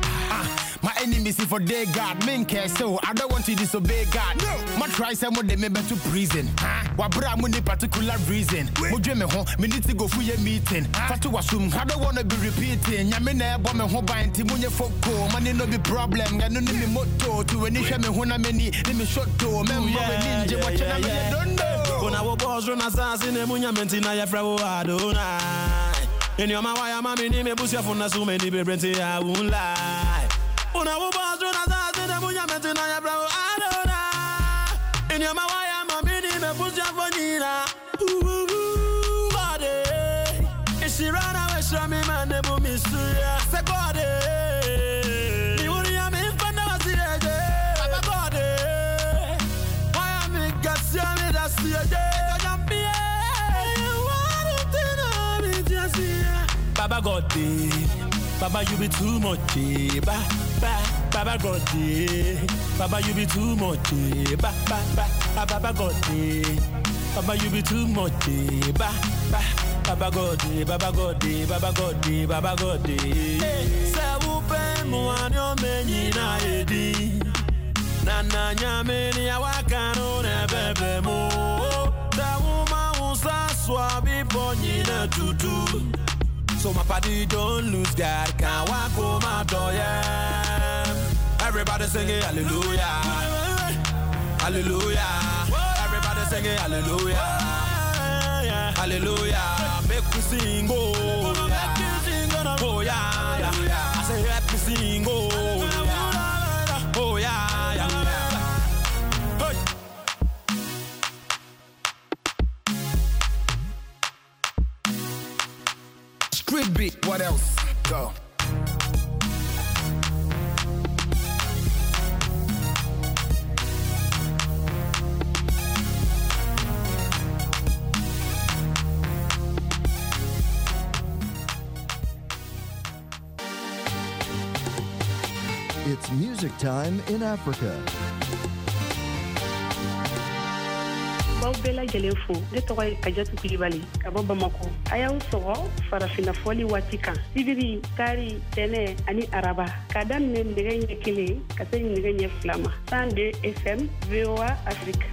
[SPEAKER 12] My enemies if for their God, men care so I don't want to disobey God. No. My try some of them to prison. Wabra money particular reason. Mo dream me home, me need to go for your meeting. Fatu assume I don't wanna be repeating. Nyame na ebo me ho ban ti munye foko. Money no be problem. Ya no ni me moto to any hwe me ho na me ni me shot to me mma we ninja watch na me don't know.
[SPEAKER 13] Kona wo boss run asase ne munya menti na ye fra wo Adonai. In your ma why ma me ni me busia fo na so me ni be brenti I won't lie. Una wo boss run asase ne munya menti na ye fra wo Adonai. In your ma why ma me ni me busia fo nyina. Ooh God eh. She run away from me man ne bu mi suya. Se God eh. Mi wuri ya mi fanda wasireje. Baba God eh. Why me gasia me da siye. Baba God, Baba you be too much, ba ba. Baba God, Baba you be too much, ba ba ba. Baba God, Baba you be too much, ba ba. Baba God, Baba God, Baba God, Baba God. Se wo pe mu ani o menyi na edi. Na na nyame ni awaka no na bebe mo. Se wo ma wo sa swa bi ponyi na tutu. So my party don't lose God, can't walk home my door, yeah. Everybody singing hallelujah, hallelujah. Everybody singing hallelujah, hallelujah. Make we sing, oh, oh yeah. I say happy sing, oh, oh yeah. Hey.
[SPEAKER 12] Street beat, what else? Go.
[SPEAKER 1] It's music time in Africa.
[SPEAKER 14] Baw bɛɛ lajɛlen fo ne tɔgɔ ye Kajatu Kulibali ka bɔ Bamako a y'aw sɔgɔ farafinna fɔli waati kan sibiri kari tɛnɛ ani araba k'a daminɛ nɛgɛ ɲɛ 1 ka se nɛgɛ ɲɛ 2 ma 102 FM VOA Afrique.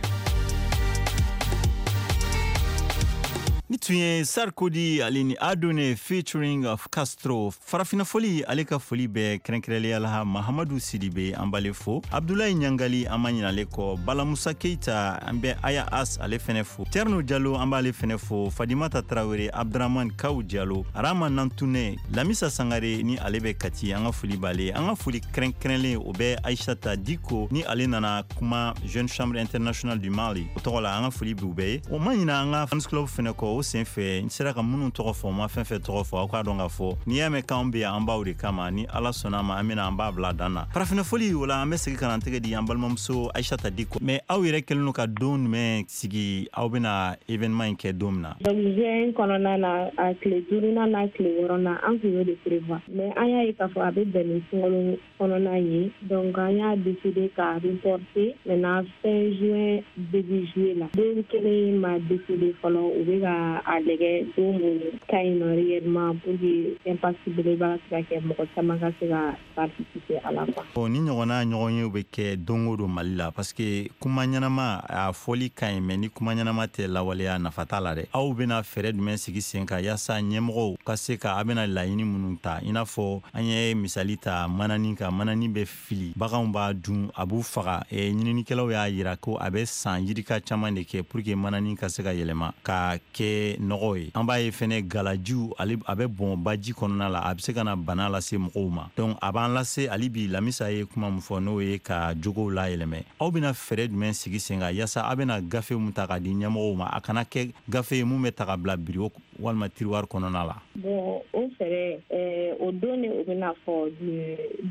[SPEAKER 3] Ni Tun ye Sarkodie ale ni Adone featuring of Castro. Farafina foli ale ka foli bɛ kɛrɛnkɛrɛnlenya la Mahamadu Sidibe, an b'ale fo, Abdulayi Ɲangali, an ma ɲinale kɔ, Bala Musa Keita, an bɛ Aya As ale fɛnɛ fo, Terno Jalo, an b'ale fɛnɛ fo, Fadimata Tarawele, Abduraman Kaw Jalo, Arama Nantune, Lamisa Sangare ni ale bɛ Kati, an ka foli b'ale. An ka foli kɛrɛnkɛrɛnlen o bɛ Aishata Diko ni ale nana kuma Jeune Chambre Internationale du Mali o tɔgɔ la, an ka foli b'u bɛɛ ye. O ma ɲina an ka fans club fɛnɛ kɔ. O sen fɛ, n sera ka minnu tɔgɔ fɔ, ma fɛn fɛn tɔgɔ fɔ, aw k'a dɔn k'a fɔ n'i y'a mɛn k'anw be yan, an b'aw de kama. Ni Ala sɔnna ma, an bena an b'a bila dan na farafinna foli o la. An bɛ segi ka na an tɛgɛ di an balimamuso Aishata Diko. Mais aw yɛrɛ kɛlen don ka don jumɛn sigi aw bena événement in kɛ don min na?
[SPEAKER 4] Donc juin kɔnɔna na, a tile duurunan n'a tile wɔɔrɔnan, an tun y'o de prévoir, mais an y'a ye k'a fɔ a bɛ bɛn ni sunkalo kɔnɔna ye, donc an y'a décidé ka reporter maintenant fin juin, début juillet la. Don kelen ma décidé fɔlɔ, u bɛ ka a lajɛ don mun ka ɲi nɔ réellement pour que impact belebeleba ka se ka kɛ, mɔgɔ caman ka se ka participer a la quoi.
[SPEAKER 3] Bon, ni ɲɔgɔnna ɲɔgɔn ye bɛ kɛ don o don Mali la, parce que kuma ɲɛnama a fɔli ka ɲi, mais ni kuma ɲɛnama tɛ lawaleya, nafa t'a la dɛ. Aw bɛna fɛɛrɛ jumɛn sigi sen kan yaasa ɲɛmɔgɔw ka se ka a bɛna laɲini minnu ta, i n'a fɔ an ye misali ta manani kan, manani bɛ fili, baganw b'a dun, a b'u faga. Ɲininikɛlaw y'a yira ko a bɛ san yirika caman de kɛ pour que manani ka se ka yɛlɛma ka kɛ nɔgɔ ye. An b'a ye fɛnɛ galajiw ale a bɛ bɔn baji kɔnɔna la, a bɛ se ka na bana lase mɔgɔw ma. Donc a b'an lase hali bi, Lamisa ye kuma min fɔ, n'o ye ka jogow layɛlɛmɛ. Aw bɛna fɛɛrɛ jumɛn sigi sen kan yaasa aw bɛna gafe mun ta k'a di ɲɛmɔgɔw ma, a kana kɛ gafe ye mun bɛ ta ka bila bureau walima tiroir kɔnɔna la?
[SPEAKER 4] Bon, o fɛɛrɛ, o don de o bɛna fɔ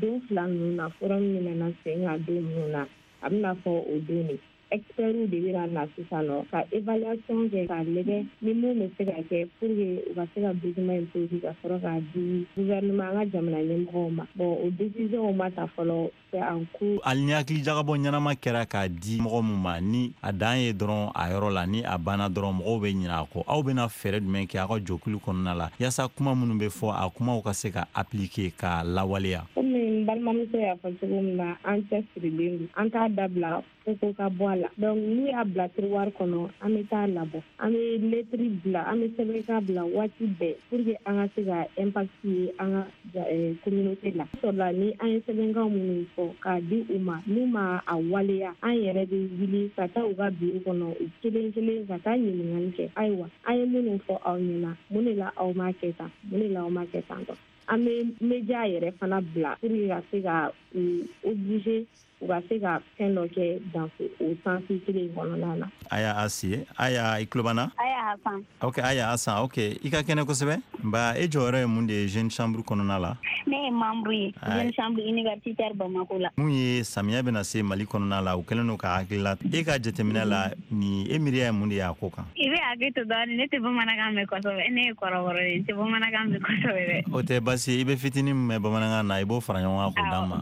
[SPEAKER 4] don fila ninnu na, forum min nana sen kan don minnu na, a bɛna fɔ o don de. Experts de bɛna na sisan nɔ ka évaluation kɛ k'a lajɛ ni mun bɛ se ka kɛ pour que u ka se ka document in produit ka sɔrɔ k'a di gouvernement, an ka jamana ɲɛmɔgɔw ma. Bon, o décision ma ta fɔlɔ, c'est en cours.
[SPEAKER 3] Hali ni hakili jagabɔ ɲɛnama kɛra k'a di mɔgɔ mun ma, ni a dan ye dɔrɔn a yɔrɔ la, ni a banna dɔrɔn, mɔgɔw bɛ ɲinɛ a kɔ. Aw bɛna fɛɛrɛ jumɛn kɛ aw ka jɔkulu kɔnɔna la yaasa kuma minnu bɛ fɔ, a kumaw ka se ka appliquer ka lawaleya?
[SPEAKER 4] Komi n balimamuso y'a fɔ cogo min na, an cɛsirilen don, an t'a dabila fo ko ka bɔ a la. Donc n'u y'a bila tiroir kɔnɔ, an bɛ taa labɔ, an bɛ lettre bila, an bɛ sɛbɛnkan bila waati bɛɛ pour que an ka se ka impact ye an ka communauté la. Sɔrɔla ni an ye sɛbɛnkan minnu fɔ k'a di u ma, n'u ma a waleya, an yɛrɛ bɛ wuli ka taa u ka bureau kɔnɔ u kelen kelen ka taa ɲininkali kɛ: ayiwa, an ye minnu fɔ aw ɲɛna, mun de la aw m'a kɛ tan, mun de la aw m'a kɛ tan tɔ? An bɛ média yɛrɛ fana bila pour que ka se ka u obliger u ka se ka fɛn dɔ kɛ dans o sens kelen in kɔnɔna na.
[SPEAKER 3] Aya Asi, Aya, i tulo b'an na?
[SPEAKER 15] Aya Hasan.
[SPEAKER 3] Ok, Aya Hasan, ok, i ka kɛnɛ kosɛbɛ. Nba, e jɔyɔrɔ ye mun de ye Jeune Chambre kɔnɔna la?
[SPEAKER 15] Ne ye membre ye Jeune Chambre universitaire Bamako la.
[SPEAKER 3] Mun ye samiya bɛna se Mali kɔnɔna la, u kɛlen don ka hakilila, e ka jateminɛ la, ni e miiriya ye mun de ye a ko kan?
[SPEAKER 15] I bɛ hakili to dɔɔni, ne tɛ bamanankan mɛn kosɛbɛ, ne ye kɔrɔbɔrɔ ye, n tɛ bamanankan mɛn kosɛbɛ dɛ.
[SPEAKER 3] O tɛ baasi ye, i bɛ fitinin min mɛn bamanankan na, i b'o fara ɲɔgɔn kan k'o d'an ma.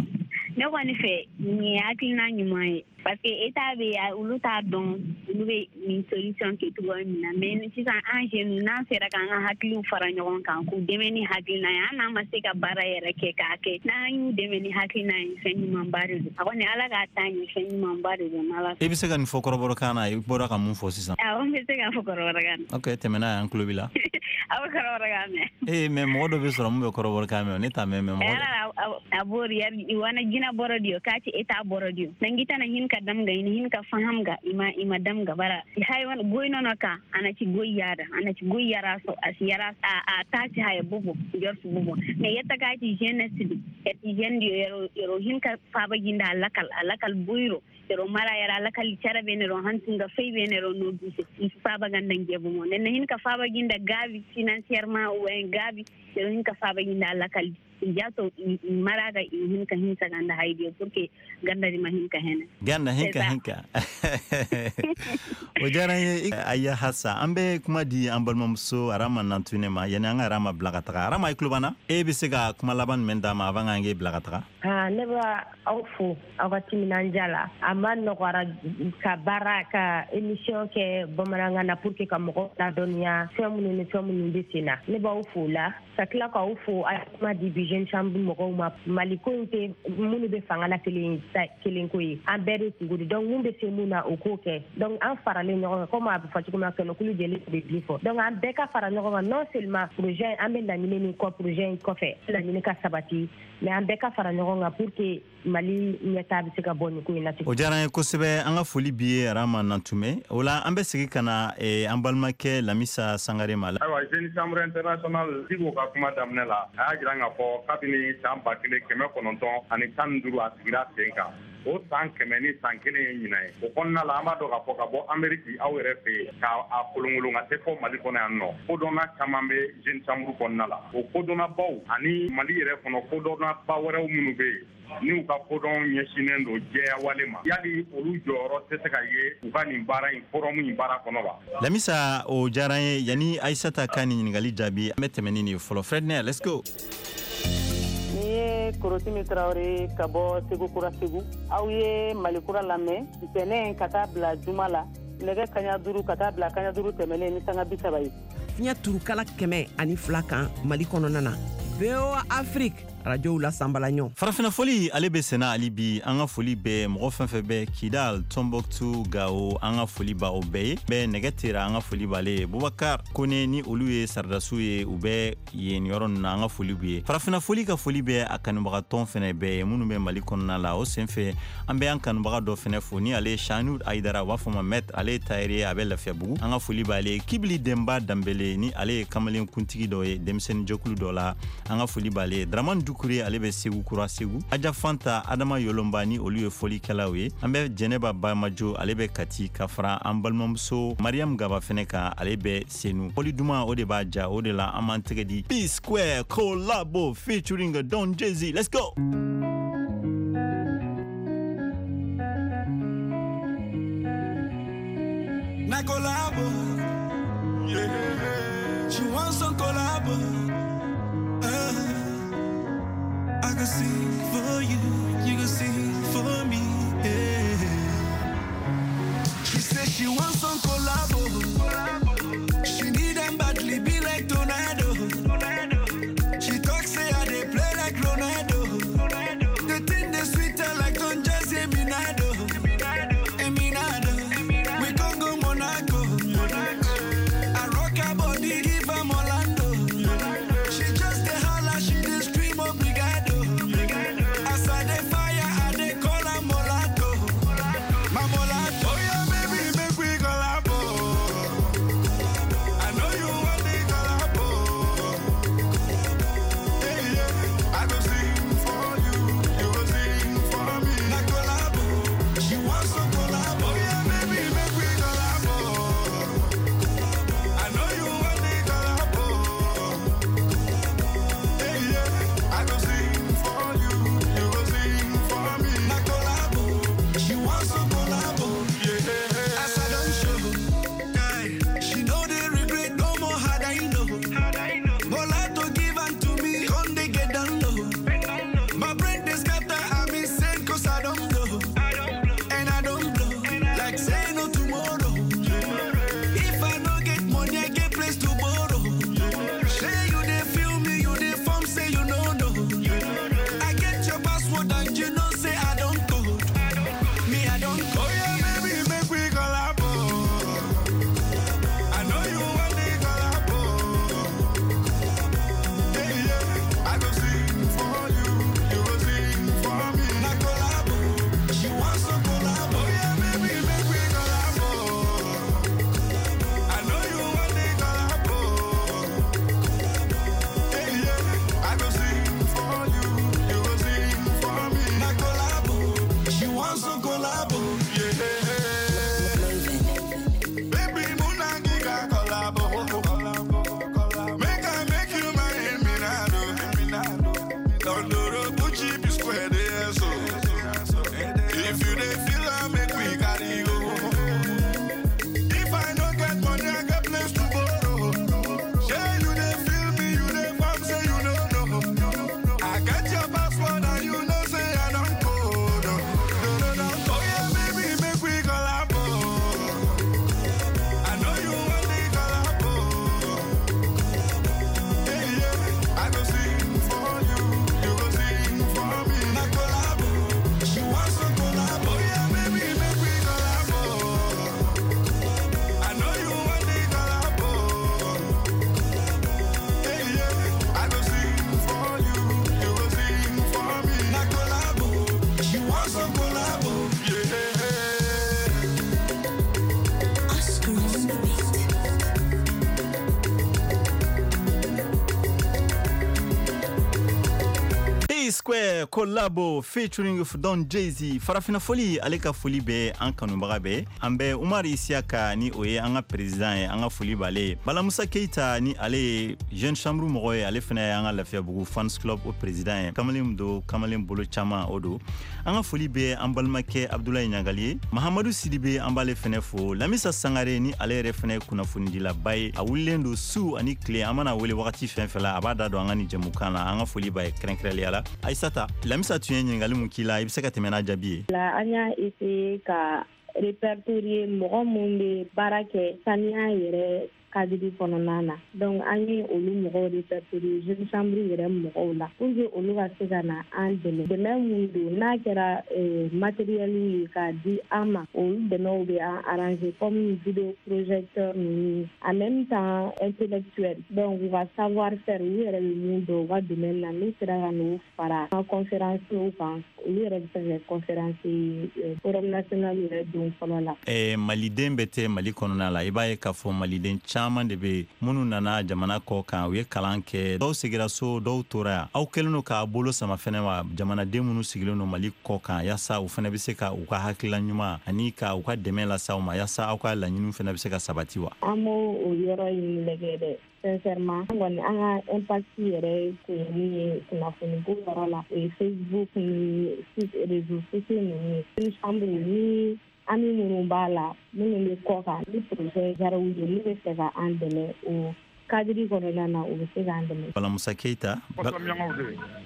[SPEAKER 15] Ne kɔni fɛ, nin ye hakilina ɲuman ye, parce que état bɛ, olu t'a dɔn olu bɛ nin solution kɛ cogoya min na. Mais sisan an jeunes, n'an sera k'an ka hakiliw fara ɲɔgɔn kan k'u dɛmɛ ni hakilina ye, an n'an ma se ka baara yɛrɛ kɛ k'a kɛ, n'an y'u dɛmɛ ni hakilina ye, fɛn ɲumanba de don. A kɔni, Ala k'a taa ɲɛ, fɛn ɲumanba de don n'Ala.
[SPEAKER 3] I bɛ se ka nin fɔ kɔrɔbɔrɔkan na, i bɔra ka mun fɔ sisan?
[SPEAKER 15] Awɔ, n bɛ se k'a fɔ kɔrɔbɔrɔkan na.
[SPEAKER 3] Ok, tɛmɛ n'a ye, an tulo b'i la.
[SPEAKER 15] Aw bɛ kɔrɔbɔrɔkan mɛn?
[SPEAKER 3] Ee, mais mɔgɔ dɔ bɛ sɔrɔ mun bɛ kɔrɔbɔrɔkan mɛn, ne t'a mɛn, mais mɔgɔ
[SPEAKER 15] A bori wana jina boro dio kati eta boro dio nangita na hin ka damga ina hin ka fahamga ima ima damga bara hay wan goy nono ka ana ci goy yada ana ci goy yara so as yara a tati hay bobo jortu bobo mais yetta ka ci jeunesse di et jeune dio yero yero hin ka faba ginda lakal lakal boyro yero mara yara lakal cara be ne ro hantinga fey be ne ro no duse faba ganda jebo mo nen hin ka faba ginda gabi financièrement ou en gabi yero hin ka faba ginda lakal jato maraga hin ka hin saganda haydi pour que ganda di ma hin ka hena
[SPEAKER 3] ganda hinka hinka. O diyara n ye, Aya Hasa. An bɛ kuma di an balimamuso Arama Nantune ma. Yani an ka Arama bila ka taga, Arama, i tulo b'an na? E bɛ se ka kuma laban jumɛn d'a ma avant k'an k'e bila ka taga?
[SPEAKER 5] Ne b'a aw fo aw ka timinandiya la. A ma nɔgɔra ka baara ka émission kɛ bamanankan na pour que ka mɔgɔw ladɔnniya fɛn minnu ni fɛn minnu bɛ sen na. Ne b'aw fo la ka tila k'aw fo a ye kuma di bi Jeune Chambre mɔgɔw ma. Mali ko in tɛ minnu bɛ fanga la kelen kelen ko ye, an bɛɛ de kungo don. Donc mun bɛ se mun na, o k'o kɛ. Donc an faralen ɲɔgɔn kan, komi a bɛ fɔ cogo min na, kɛnɛkulu jɛlen bɛ bin fɔ. Donc an bɛɛ ka fara ɲɔgɔn kan, non seulement projet an bɛ laɲini min kɔ projet in kɔfɛ, laɲini ka sabati, mais an bɛɛ ka fara ɲɔgɔn kan pour que Mali ɲɛta bɛ se ka bɔ nin ko in na.
[SPEAKER 3] O diyara an ye kosɛbɛ. An ka foli b'i ye, Arama Nantume. O la an bɛ segin ka na an balimakɛ Lamisa Sangare ma.
[SPEAKER 7] Ayiwa, Jeune Chambre Internationale, Diko ka kuma daminɛ la, a y'a jira k'a fɔ kabini san 1915 a sigira sen kan, o san 101 ye ɲinan ye. O kɔnɔna la, an b'a dɔn k'a fɔ ka bɔ Ameriki, aw yɛrɛ fɛ yen, ka a kolonkolon ka se fɔ Mali kɔnɔ yan nɔ, kodɔnna caman bɛ Jeune Chambre kɔnɔna la. O kodɔnnabaw ani Mali yɛrɛ kɔnɔ kodɔnnaba wɛrɛw minnu bɛ yen n'u ka kodɔn ɲɛsinnen don jɛyawale ma, yali olu jɔyɔrɔ tɛ se ka ye u ka nin baara in, forum in baara kɔnɔ wa?
[SPEAKER 3] Lamisa, o diyara an ye. Yanni Ayisata ka nin ɲininkali jaabi, an bɛ tɛmɛ ni nin ye fɔlɔ. Fredner, let's go.
[SPEAKER 6] Ni ye Korotimi Tarawele ka bɔ Segu Kura, Segu. Aw ye Mali Kura lamɛn ntɛnɛn ka taa bila juma la, nɛgɛ kaɲa 5 ka taa bila kaɲa 5 tɛmɛnen ni sanga 30 ye.
[SPEAKER 16] Fiɲɛ turukala 102 kan Mali kɔnɔna na, VOA Afrique rajow la sanbala ɲɔ.
[SPEAKER 3] Farafina foli ale bɛ senna hali bi. An ka foli bɛ mɔgɔ fɛn fɛn bɛ Kidal, Tombouctou, Gao, an ka foli b'aw bɛɛ ye. Bɛ nɛgɛ tera, an ka foli b'ale ye. Bubakar Kone ni olu ye saradasiw ye, u bɛ yen yɔrɔ ninnu na, an ka foli b'u ye. Farafina foli ka foli bɛ a kanubagatɔn fɛnɛ bɛɛ ye minnu bɛ Mali kɔnɔna la. O senfɛ, an bɛ an kanubaga dɔ fɛnɛ fo, ni ale ye Shanud Ayidara, u b'a fɔ ma maître, ale ye tailleur ye, a bɛ Lafiyabugu, an ka foli b'ale ye. Kibili Denba Danbele, ni ale ye kamalen kuntigi dɔ ye denmisɛnnin jɛkulu dɔ la, an ka foli b'ale ye. Dramane Dukure, ale bɛ Segu Kura, Segu. Aja Fanta, Adama Yolomba, ni olu ye fɔlikɛlaw ye. An bɛ Jɛnɛba Bamajo, ale bɛ Kati, ka fara an balimamuso Mariam Gaba fɛnɛ kan, ale bɛ Senu. Fɔli duman, o de b'a ja, o de la an b'an tɛgɛ di. P Square Collabo featuring Don Jazzy, let's go.
[SPEAKER 17] Na collabo, yeah. She wants some collabo. I can sing for you, you can sing for me. Yeah. She says she wants some collabo. She need them badly, be like tornado. She talks say I they play like Ronaldo. The thing they sweeter like Don Jazzy Minado. Eminado. We can go Monaco. I rock her body, give her Orlando. She just a holler, she dey scream obrigado. As I dey fire, I dey
[SPEAKER 3] Square Collabo featuring Don Jay-Z. Farafina foli, ale ka foli bɛ an kanubaga bɛɛ. An bɛ Umar Isiaka, ni o ye an ka président ye, an ka foli b'ale ye. Bala Musa Keita, ni ale ye Jeune Chambre mɔgɔ ye, ale fana ye an ka Lafiyabugu fans club o président ye. Kamalen don, kamalen bolo caman o don. An ka foli bɛ an balimakɛ Abdulayi Ɲagali ye. Mahamadu Sidibe, an b'ale fɛnɛ fo. Lamisa Sangare, ni ale yɛrɛ fɛnɛ ye kunnafonidilaba ye, a wulilen don su ani tile, an mana wele wagati fɛn fɛn la, a b'a da don an ka nin jɛmukan na. An ka foli b'a ye kɛrɛnkɛrɛnliya la. Ayisata, Lamisa tun ye ɲininkali mun k'i la, i bɛ se ka tɛmɛ n'a jaabi ye?
[SPEAKER 4] La, an y'a essayer ka répertorier mɔgɔ mun bɛ baara kɛ saniya yɛrɛ cadre kɔnɔna na. Donc an ye olu mɔgɔw répertorier Jeune Chambre yɛrɛ mɔgɔw la pour que olu ka se ka na an dɛmɛ. Dɛmɛ mun don, n'a kɛra matériel ye k'a di an ma, olu dɛmɛw bɛ an arranger, comme vidéo projecteur ninnu, en même temps intellectuel, donc u ka savoir faire, u yɛrɛ bɛ mun dɔn u ka domaine na, n'u sera ka n'o fara an conférence kan, olu yɛrɛ bɛ se ka kɛ conférence forum national yɛrɛ don fɔlɔ la.
[SPEAKER 3] Maliden bɛ tɛ Mali kɔnɔna la, i b'a ye k'a fɔ maliden caman de bɛ minnu nana jamana kɔ kan, u ye kalan kɛ, dɔw segira so, dɔw tora yan. Aw kɛlen don k'a bolo sama fɛnɛ wa, jamanaden minnu sigilen don Mali kɔ kan, yaasa u fɛnɛ bɛ se ka u ka hakilila ɲuman ani ka u ka dɛmɛ lase aw ma, yaasa aw ka laɲiniw fɛnɛ bɛ se ka sabati wa?
[SPEAKER 4] An b'o o yɔrɔ in lajɛ dɛ. Sincèrement, an kɔni, an ka impact yɛrɛ kun ye min ye kunnafoni ko yɔrɔ la, o ye Facebook ni réseaux sociaux ninnu ye. Chambre ni ami minnu b'a la, minnu bɛ kɔ kan, ni projet diyara u ye, n'u bɛ fɛ ka an dɛmɛ o cadre kɔnɔna na, u bɛ se k'an dɛmɛ.
[SPEAKER 3] Bala Musa Keyita,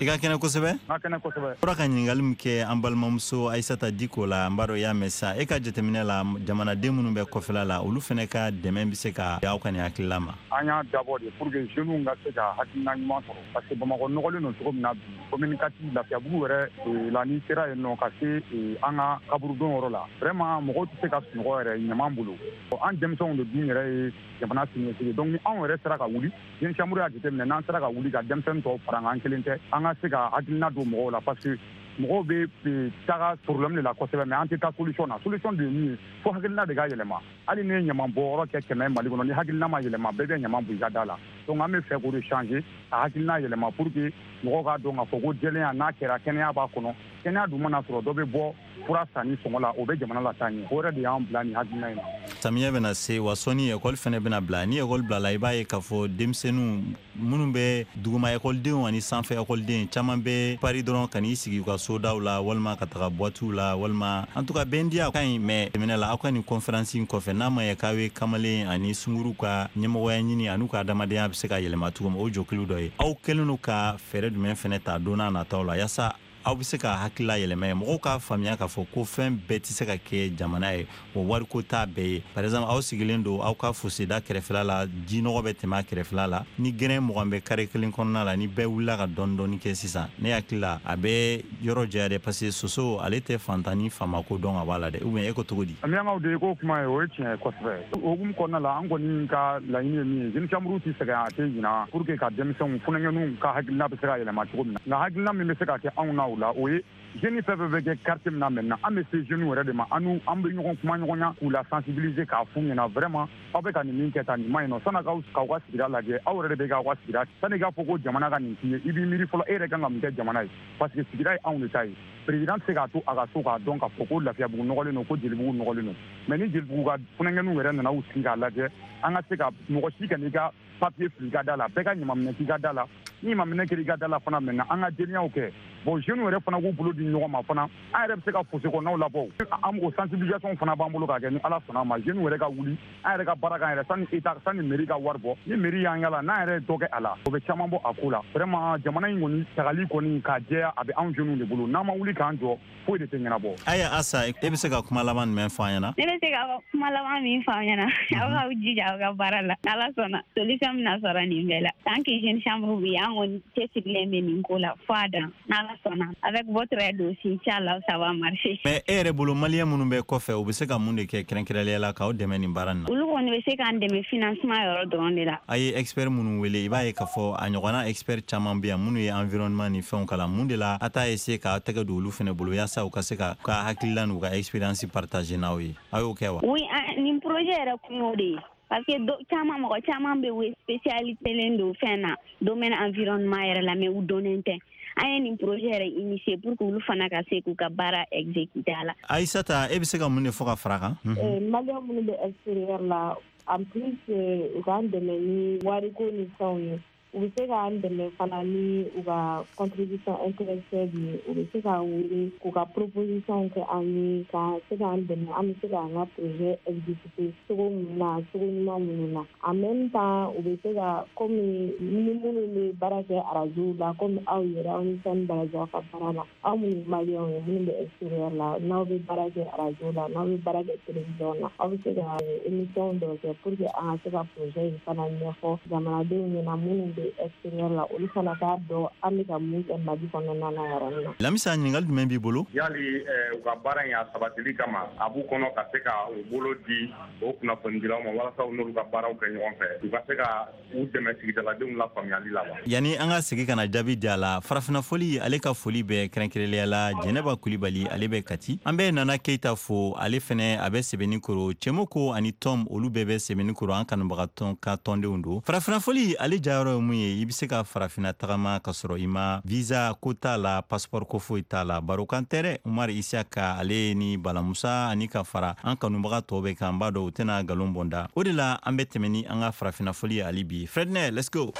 [SPEAKER 3] i ka kɛnɛ kosɛbɛ.
[SPEAKER 7] N ka kɛnɛ kosɛbɛ.
[SPEAKER 3] Bɔra ka ɲininkali min kɛ an balimamuso Ayisata Diko la, n b'a dɔn i y'a mɛn sa. E ka jateminɛ la, jamanaden minnu bɛ kɔfɛla la, olu fɛnɛ ka dɛmɛ bɛ se ka aw ka nin hakilila ma?
[SPEAKER 7] An y'a dabɔ de pour que jeunes ka se ka hakilina ɲuman sɔrɔ, parce que Bamakɔ nɔgɔlen don cogo min na bi, commune 4, Lafiyabugu yɛrɛ la, n'i sera yen nɔ ka se an ka kaburudon yɔrɔ la, vraiment mɔgɔw tɛ se ka sunɔgɔ yɛrɛ ɲaman bolo. An denmisɛnw de dun yɛrɛ ye jamana siniɲɛsigi. Donc ni anw yɛrɛ sera ka wuli, Jeune Chambre y'a jateminɛ, n'an sera ka wuli ka denmisɛnnin tɔw fara an kan, an kelen tɛ, an ka se ka hakilina don mɔgɔw la, parce que mɔgɔw bɛ taga problème de la kosɛbɛ, mais an tɛ taa solution na. Solution de ye min ye, fo hakilina de ka yɛlɛma. Hali ni ye ɲaman bɔ yɔrɔ kɛ 100 Mali kɔnɔ, ni hakilina ma yɛlɛma, bɛɛ bɛ ɲaman bɔn i ka da la. Donc an bɛ fɛ k'o de changer, ka hakilina yɛlɛma pour que mɔgɔw k'a dɔn k'a fɔ ko jɛlenya n'a kɛra, kɛnɛya b'a kɔnɔ. Kɛnɛya dun mana sɔrɔ, dɔ bɛ bɔ fura sanni sɔngɔ la, o bɛ jamana la taa ɲɛ. O yɛrɛ de y'an bila nin hakilina in na.
[SPEAKER 3] Samiyɛ bɛna se wa, sɔnni ekɔli fɛnɛ bɛna bila. Ni ekɔli bilala, i b'a ye k'a fɔ denmisɛnninw minnu bɛ duguma ekɔlidenw ani sanfɛ ekɔliden caman bɛ pari dɔrɔn ka n'i sigi u ka sodaw la, walima ka taga boîtew la, walima en tout cas bɛndiya ka ɲi. Mais tɛmɛnɛ la, aw ka nin conférence in kɔfɛ, n'a ma ɲɛ k'aw ye kamalen ani sunguru ka ɲɛmɔgɔya ɲini an'u ka adamadenya bɛ se ka yɛlɛma cogo min, o jɔkulu dɔ ye, aw kɛlen don ka fɛɛrɛ jumɛn fɛnɛ ta don n'a nataw la, yaasa aw bɛ se ka hakilila yɛlɛma ye, mɔgɔw k'a faamuya k'a fɔ ko fɛn bɛɛ tɛ se ka kɛ jamana ye, o wariko t'a bɛɛ ye? Par exemple, aw sigilen don aw ka foseda kɛrɛfɛla la, jinɔgɔ bɛ tɛmɛ a kɛrɛfɛla la, ni gɛrɛn 20 bɛ carré kelen kɔnɔna la, ni bɛɛ wulila ka dɔɔni dɔɔni kɛ sisan, ne hakili la a bɛ yɔrɔ jɛya dɛ, parce que soso ale tɛ fantan ni faamako dɔn ka bɔ a la dɛ. Ou bien e ko cogo di?
[SPEAKER 7] Miyankaw de ko kuma ye, o ye tiɲɛ ye kosɛbɛ. O hukumu kɔnɔna la, an kɔni ka laɲini ye min ye, Jeune Chambre tɛ sɛgɛn, a tɛ ɲina pour que ka denmisɛnw funankɛninw ka hakilina bɛ se ka yɛlɛma cogo min na. Nka hakilina min bɛ se ka kɛ anw na o la, o ye jeune fɛn fɛn bɛ kɛ quartier min na maintenant, an bɛ se jeunes yɛrɛ de ma, an n'u an bɛ ɲɔgɔn kuma ɲɔgɔnya k'u la sensibiliser, k'a f'u ɲɛna vraiment aw bɛ ka nin min kɛ tan, nin ma ɲi nɔ. Sanni k'aw ka sigida lajɛ, aw yɛrɛ de bɛ k'aw ka sigida. Sanni k'a fɔ ko jamana ka nin k'i ye, i b'i miiri fɔlɔ e yɛrɛ kan ka mun kɛ jamana ye, parce que sigida ye anw de ta ye. Président tɛ se k'a to a ka so k'a dɔn k'a fɔ ko Lafiyabugu nɔgɔlen don, ko Jelibugu nɔgɔlen don. Mais ni Jelibugu ka funankɛninw yɛrɛ nana u sigi k'a lajɛ, an ka se ka mɔgɔ si kan'i ka papier fili i ka da la, bɛɛ ka ɲamanminɛ k'i ka da la. Ni ɲamanminɛ kɛra i ka da la fana maintenant, an ka jɛlenyaw kɛ. Bon, jeunes yɛrɛ fana k'u bolo di ɲɔgɔn ma fana, an yɛrɛ bɛ se ka fosse kɔnɔnaw labɔ. An o sensibilisation fana b'an bolo k'a kɛ. Ni Ala sɔnna a ma, jeunes yɛrɛ ka wuli, an yɛrɛ ka baara k'an yɛrɛ, sani état, sani mairie ka wari bɔ. Ni mairie y'an yala, n'an yɛrɛ ye dɔ kɛ a la, o bɛ caman bɔ a ko la. Vraiment, jamana in kɔni tagali kɔni k'a jɛya, a bɛ anw jeunes de bolo. N'an ma wuli k'an jɔ, foyi de tɛ ɲɛnabɔ.
[SPEAKER 3] Aya Asa, e bɛ se ka kuma laban jumɛn fɔ an ɲɛna?
[SPEAKER 15] Ne bɛ se ka kuma laban min fɔ an ɲɛna, aw k'aw jija aw ka baara la. N'Ala sɔnna, solution bɛna sɔrɔ nin bɛɛ la. Tant que Jeune Chambre bɛ yen, an kɔni cɛsirilen bɛ nin ko la fo a dan. N'Ala sɔnna, avec votre aide aussi, inchallah, ça va marcher.
[SPEAKER 3] Mais e yɛrɛ bolo, maliyɛn minnu bɛ kɔfɛ, u bɛ se ka mun de kɛ kɛrɛnkɛrɛnnenya la k'aw dɛmɛ nin baara nin na?
[SPEAKER 15] Olu kɔni bɛ se k'an dɛmɛ financement yɔrɔ dɔrɔn de la.
[SPEAKER 3] A ye expert minnu wele, i b'a ye k'a fɔ a ɲɔgɔnna expert caman bɛ yan minnu ye environnement ni fɛnw kalan. Mun de la a t'a essayer k'aw tɛgɛ don olu fɛnɛ bolo, yaasa u ka se ka hakilila n'u ka expérience partager n'aw ye? Aw y'o kɛ wa?
[SPEAKER 15] Oui, nin projet yɛrɛ kun y'o de ye. Parce que caman, mɔgɔ caman bɛ u spécialité len don fɛn na, domaine environnement yɛrɛ la, mais u dɔnnen tɛ. An ye nin projet yɛrɛ initier pour que olu fana ka se k'u ka baara exécuter a la.
[SPEAKER 3] Aïssata, e bɛ se ka mun de fɔ ka fara kan?
[SPEAKER 4] Maliyɛn minnu bɛ extérieur la, en plus u k'an dɛmɛ ni wariko ni fɛnw ye, u bɛ se k'an dɛmɛ fana ni u ka contribution intellectuelle ye. U bɛ se k'an wele k'u ka proposition kɛ an ye, ka se k'an dɛmɛ, an bɛ se k'an ka projet exécuter cogo min na, cogo ɲuman minnu na. En même temps, u bɛ se ka, komi ni minnu bɛ baara kɛ arajow la, komi aw yɛrɛ, aw ni sani baraji aw ka baara la, aw minnu ye maliyɛnw ye minnu bɛ extérieur la, n'aw bɛ baara kɛ arajo la, n'aw bɛ baara kɛ télévision na, aw bɛ se ka émission dɔ kɛ pour que an ka se ka projet in fana ɲɛfɔ jamanadenw ɲɛna minnu bɛ extérieur la, olu fana k'a dɔn an bɛ ka mun kɛ Mali kɔnɔna na yɔrɔ min na.
[SPEAKER 3] Lamisa, ɲininkali jumɛn b'i bolo?
[SPEAKER 7] Yali u ka baara in a sabatili kama, a b'u kɔnɔ ka se ka u bolo di o kunnafonidilaw ma walasa u n'olu ka baaraw kɛ ɲɔgɔn fɛ, u ka se ka u dɛmɛ sigidaladenw lafaamuyali la wa?
[SPEAKER 3] Yanni an ka segin ka na jaabi di a la, Farafinna foli ale ka foli bɛ kɛrɛnkɛrɛnnenya la Jɛnɛba Kulibali, ale bɛ Kati. An bɛ Nana Keyita fo, ale fɛnɛ a bɛ Sɛbɛnni-Kɔrɔ. Cɛmɔkɔ ani Tɔm, olu bɛɛ bɛ Sɛbɛnni-Kɔrɔ, an kanubagatɔn ka tɔndenw don. Farafinna foli ale jayɔrɔ ye mun ye? I bɛ se ka farafinna tagama ka sɔrɔ i ma visa ko t'a la, passeport ko foyi t'a la, barokan tɛ dɛ. Umar Isiyaka ale ni Bala Musa ani ka fara an kanubaga tɔw bɛɛ kan, n b'a dɔn u tɛna nkalon bɔn da. O de la an bɛ tɛmɛ ni an ka farafinna foli ye hali bi. Fredner, let's go.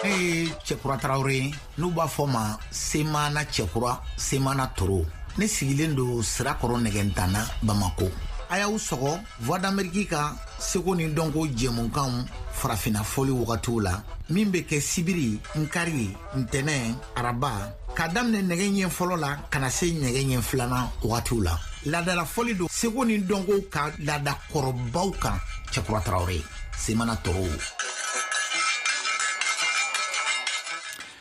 [SPEAKER 18] Ne ye Cɛkura Tarawele ye, n'u b'a fɔ ma Semana Cɛkura, Semana Toro. Ne sigilen don Sirakɔrɔ Nɛgɛntana, Bamako. A y'aw sɔgɔ Voix d'Amérique ka seko ni dɔnko jɛmukanw farafinna fɔli wagatiw la, min bɛ kɛ sibiri, nkari, ntɛnɛ, araba, k'a daminɛ nɛgɛ ɲɛ fɔlɔ la ka na se nɛgɛ ɲɛ filanan wagatiw la. Laadala fɔli don seko ni dɔnko ka laada kɔrɔbaw kan. Cɛkura Tarawele, Semana Toro.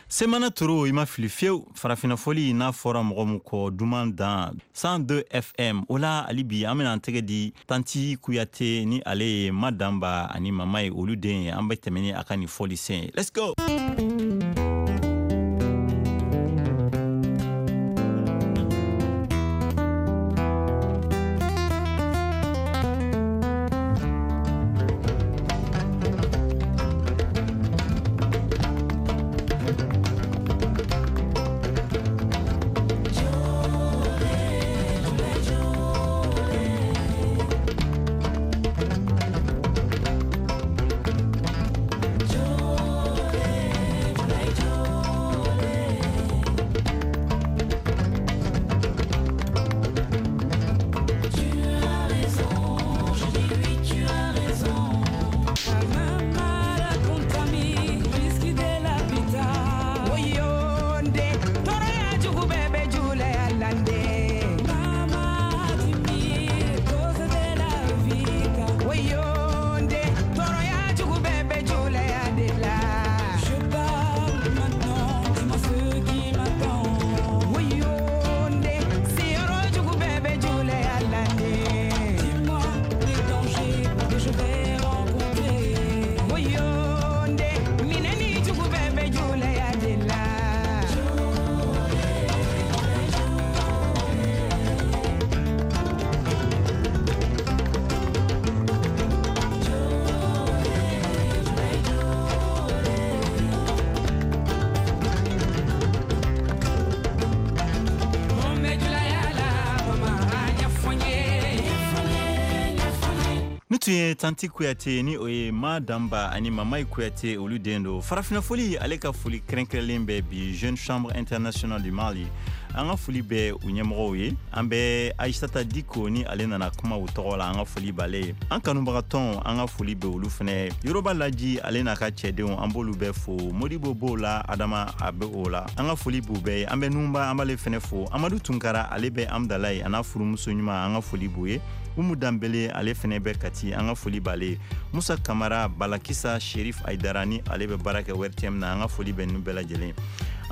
[SPEAKER 3] Semana Toro, i ma fili fiyewu. Farafinna fɔli n'a fɔra mɔgɔ min kɔ duman dan 102 FM o la, hali bi an bɛna an tɛgɛ di Tanti Kuyate ni ale ye Madanba ani mama ye, olu den ye. An bɛ tɛmɛ ni a ka nin fɔli sen ye. Let's go. Tun ye Tanti Kuyate ni o ye Madanba ani Mamayi Kuyate, olu den don. Farafinna foli ale ka foli kɛrɛnkɛrɛnlen bɛ bi Jeune Chambre Internationale du Mali, an ka foli bɛ u ɲɛmɔgɔw ye. An bɛ Aïssata Diko ni ale nana kuma u tɔgɔ la, an ka foli b'ale ye. An kanubagatɔn, an ka foli bɛ olu fɛnɛ. Yoroba Laji ale n'a ka cɛdenw, an b'olu bɛɛ fo. Modibo b'o la, Adama a bɛ o la, an ka foli b'u bɛɛ ye. An bɛ Nunba, an b'ale fɛnɛ fo. Amadu Tunkara ale bɛ Amdalaye a n'a furumuso ɲuman, an ka foli b'u ye. Umu Danbele ale fɛnɛ bɛ Kati, an ka foli b'ale ye. Musa Kamara, Balakisa Sherif Aidara ni ale bɛ baara kɛ ORTM na, an ka foli bɛ ninnu bɛɛ lajɛlen.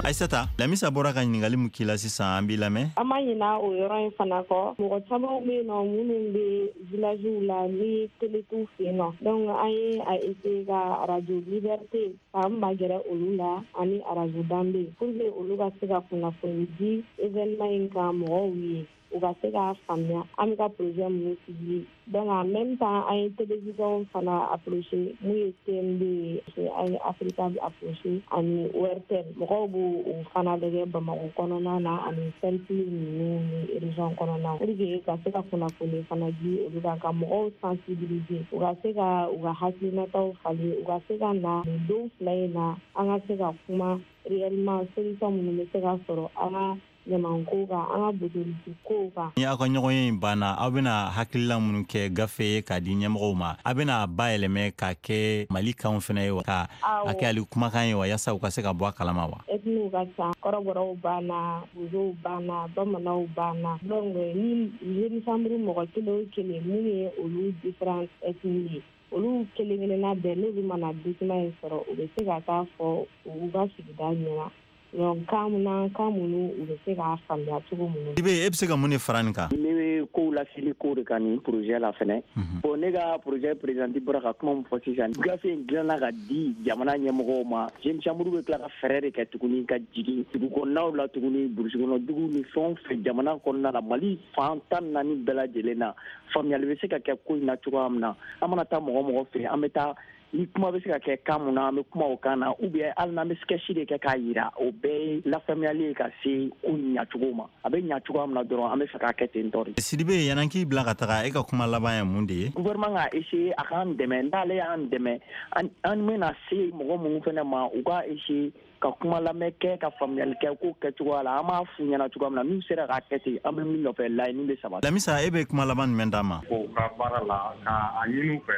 [SPEAKER 3] Aïssata, Lamisa bɔra ka ɲininkali mun k'i la sisan, an b'i lamɛn.
[SPEAKER 4] An ma ɲina o yɔrɔ in fana kɔ. Mɔgɔ caman bɛ yen nɔ minnu bɛ villagew la ni télé t'u fɛ yen nɔ, donc an ye a essayer ka radio Liberté k'an magɛrɛ olu la ani radio Danbe pour que olu ka se ka kunnafoni di événement in kan mɔgɔw ye. U U ka se k'a faamuya an bɛ ka projet minnu sigi. Donc en même temps, an ye télévision fana approché, mun ye TMD ye, an ye Africa approché ani ORTM. Mɔgɔw b'o o fana lajɛ Bamakɔ kɔnɔna na ani cercle ninnu ni région kɔnɔna, pour que ka se ka kunnafoni fana di olu kan, ka mɔgɔw sensibiliser, u ka se ka u ka hakilinataw falen, u ka se ka na nin don 2 in na, an ka se ka kuma réellement solution minnu bɛ se ka sɔrɔ an ka ɲamanko kan, an ka butelici kow kan.
[SPEAKER 3] Ni aw ka ɲɔgɔnye in banna, aw bɛna hakilila minnu kɛ gafe ye k'a di ɲɛmɔgɔw ma, a bɛna bayɛlɛmɛ k'a kɛ Mali kanw fana ye wa, ka a kɛ hali kumakan ye wa, yaasa u ka se ka bɔ a kalama wa?
[SPEAKER 4] Ethniew ka ca, kɔrɔbɔrɔw b'an na, bozow b'an na, bamananw b'an na. Donc ni jeune chambre mɔgɔ kelen o kelen minnu ye olu différentes ethnies ye, olu kelen kelenna bɛɛ, n'olu mana document in sɔrɔ, u bɛ se ka taa fɔ u ka sigida ɲɛna. Donc kan na, kan minnu u bɛ se k'a faamuya cogo minnu.
[SPEAKER 3] I bɛ e bɛ se ka mun de fara nin kan?
[SPEAKER 19] Ne bɛ kow laseli ko de kan nin projet la fɛnɛ. Bon, ne ka projet présidente bɔra ka kuma min fɔ sisan, gafe in dilanna ka di jamana ɲɛmɔgɔw ma. Jeune chambre bɛ tila ka fɛɛrɛ de kɛ tuguni ka jigin dugu kɔnɔnaw la tuguni, burusi kɔnɔ dugu ni fɛn o fɛn jamana kɔnɔna la, Mali fan 14 bɛɛ lajɛlen na, faamuyali bɛ se ka kɛ ko in na cogoya min na. An mana taa mɔgɔ mɔgɔ fɛ, an bɛ taa ni kuma bɛ se ka kɛ kan mun na, an bɛ kuma o kan na, ou bien hali n'an bɛ sketch de kɛ k'a yira, o bɛɛ ye lafaamuyali ye ka se ko ɲacogo ma. A bɛ ɲa cogoya min na dɔrɔn, an bɛ fɛ k'a kɛ ten tɔ de.
[SPEAKER 3] Sidibe, yan'an k'i bila ka taga, e ka kuma laban ye mun de ye?
[SPEAKER 19] Gouvernement ka essayer a k'an dɛmɛ. N'ale y'an dɛmɛ, an bɛna se mɔgɔ minnu fɛnɛ ma, u ka essayer ka kuma lamɛn kɛ, ka faamuyali kɛ ko kɛcogoya la, an b'a f'u ɲɛna cogoya min na, n'u sera k'a kɛ ten, an bɛ min nɔfɛ, laɲini bɛ sabati.
[SPEAKER 3] Lamisa, e bɛ kuma laban jumɛn d'a ma?
[SPEAKER 7] U ka baara la, k'a ɲini u fɛ,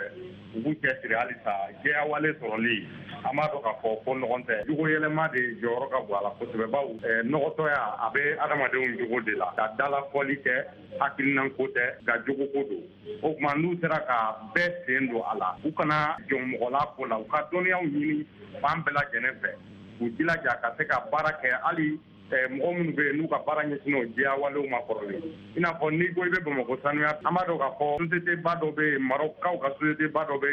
[SPEAKER 7] u k'u cɛsiri halisa jɛyawale sɔrɔli. An b'a dɔn k'a fɔ ko nɔgɔn tɛ, jogo yɛlɛma de jɔyɔrɔ ka bon a la kosɛbɛ, bawo nɔgɔtɔya a bɛ adamadenw jogo de la, ka dalafɔli kɛ hakilinan ko tɛ, nka jogo ko don. O tuma n'u sera ka bɛɛ sen don a la, u kana jɔn mɔgɔ la ko la, u ka dɔnniyaw ɲini fan bɛɛ lajɛlen fɛ, k'u jilaja ka se ka baara kɛ, hali mɔgɔ minnu bɛ yen n'u ka baara ɲɛsinnen o jɛyawalew ma kɔrɔlen. I n'a fɔ n'i ko i bɛ Bamakɔ sanuya, an b'a dɔn k'a fɔ société ba dɔ bɛ yen, Marɔkukaw ka société ba dɔ bɛ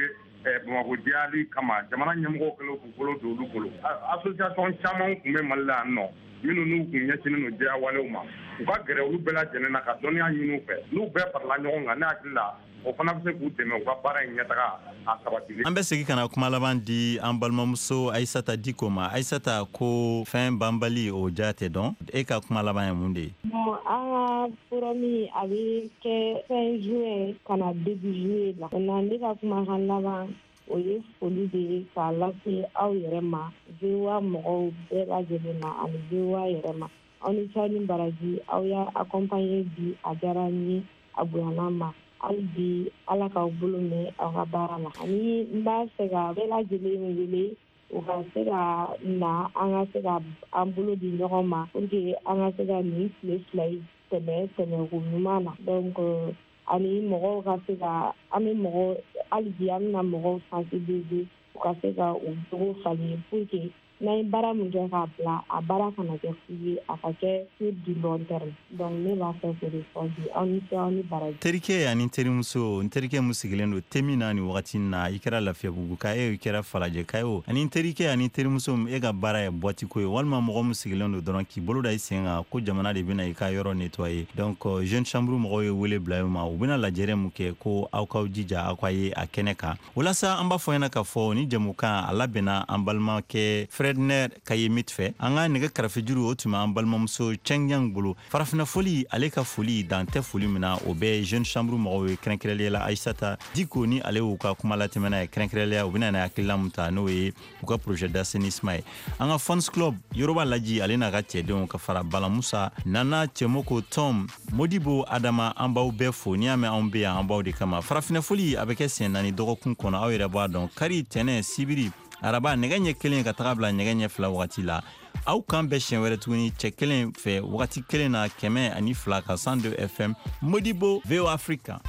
[SPEAKER 7] Bamakɔ jɛyali kama, jamana ɲɛmɔgɔw kɛlen k'u bolo don olu bolo. Association caman tun bɛ Mali la yan nɔ minnu n'u kun ɲɛsinnen don jɛyawalew ma, u ka gɛrɛ olu bɛɛ lajɛlen na ka dɔnniya ɲini u fɛ. N'u bɛɛ farala ɲɔgɔn kan, ne hakili la o fana bɛ se k'u dɛmɛ u ka baara in ɲɛtaga a sabatili.
[SPEAKER 3] An bɛ segin ka na kuma laban di an balimamuso Ayisata Diko ma. Ayisata, ko fɛn banbali o ja tɛ dɔn, e ka kuma laban ye mun de ye?
[SPEAKER 4] Bon, an ka forum a bɛ kɛ fin juin ka na début juillet la. Maintenant, ne ka kumakan laban o ye foli de ye k'a lase aw yɛrɛ ma, VOA mɔgɔw bɛɛ lajɛlen ma ani VOA yɛrɛ ma. Aw ni ce, aw ni baraji, aw y'a accompagner bi, a diyara n ye, a bonyana n ma. Hali bi Ala k'aw bolo mɛn aw ka baara la. Ani n b'a fɛ ka bɛɛ lajɛlen wele u ka se ka na, an ka se ka an bolo di ɲɔgɔn ma pour que an ka se ka nin tile 2 in tɛmɛ tɛmɛko ɲuman na. Donc ani mɔgɔw ka se ka, an bɛ mɔgɔw hali bi an bɛna mɔgɔw sensibiliser u ka se ka u jogo falen, pour que n'an ye baara min kɛ k'a bila, a baara kana kɛ fu ye, a ka kɛ sur du long terme. Donc ne b'a fɛ k'o de fɔ bi. Aw ni ce, aw ni baraji.
[SPEAKER 3] Terikɛ ani terimuso, n terikɛ mun sigilen don te min na nin wagati in na, i kɛra Lafiyabugu ka ye o, i kɛra Falajɛ ka ye o, ani terikɛ ani terimuso, e ka baara ye boîte ko ye, walima mɔgɔ min sigilen don dɔrɔn k'i bolo da i sen kan ko jamana de bɛna i ka yɔrɔ nettoyer. Donc jeune chambre mɔgɔw ye wele bila i ma, u bɛna lajɛrɛ mun kɛ, ko aw k'aw jija aw ka ye a kɛnɛ kan. Walasa an b'a fɔ ɲɛna k'a fɔ ni jɛmukan a labɛnna an balimakɛ Fredner Kayemit fɛ. An ka nɛgɛ karafejuru o tun bɛ an balimamuso Cheng bolo. Farafinna foli, ale ka foli dan tɛ foli min na, o bɛ jeune chambre mɔgɔw ye, kɛrɛnkɛrɛnnenya la Ayisata Diko ni ale y'u ka kuma latɛmɛna ye, kɛrɛnkɛrɛnnenya u bɛna na hakilina mun ta, n'o ye u ka projet d'assainissement ye. An ka fans club Yoroba Laji, ale n'a ka cɛdenw ka fara Bala Musa Nana Cɛmoko Tom Modibo Adama, an b'aw bɛɛ fo. N'i y'a mɛn anw bɛ yan, an b'aw de kama. Farafinna foli a bɛ kɛ siɲɛ 4 dɔgɔkun kɔnɔ, aw yɛrɛ b'a dɔn, kari, tɛnɛ, sibiri, araba, nɛgɛ ɲɛ 1 ka taga bila nɛgɛ ɲɛ 2 wagati la. Aw kan bɛɛ siɲɛ wɛrɛ tuguni cɛ kelen fɛ wagati kelen na, 102 ka 102 FM Modibo VOA Africa.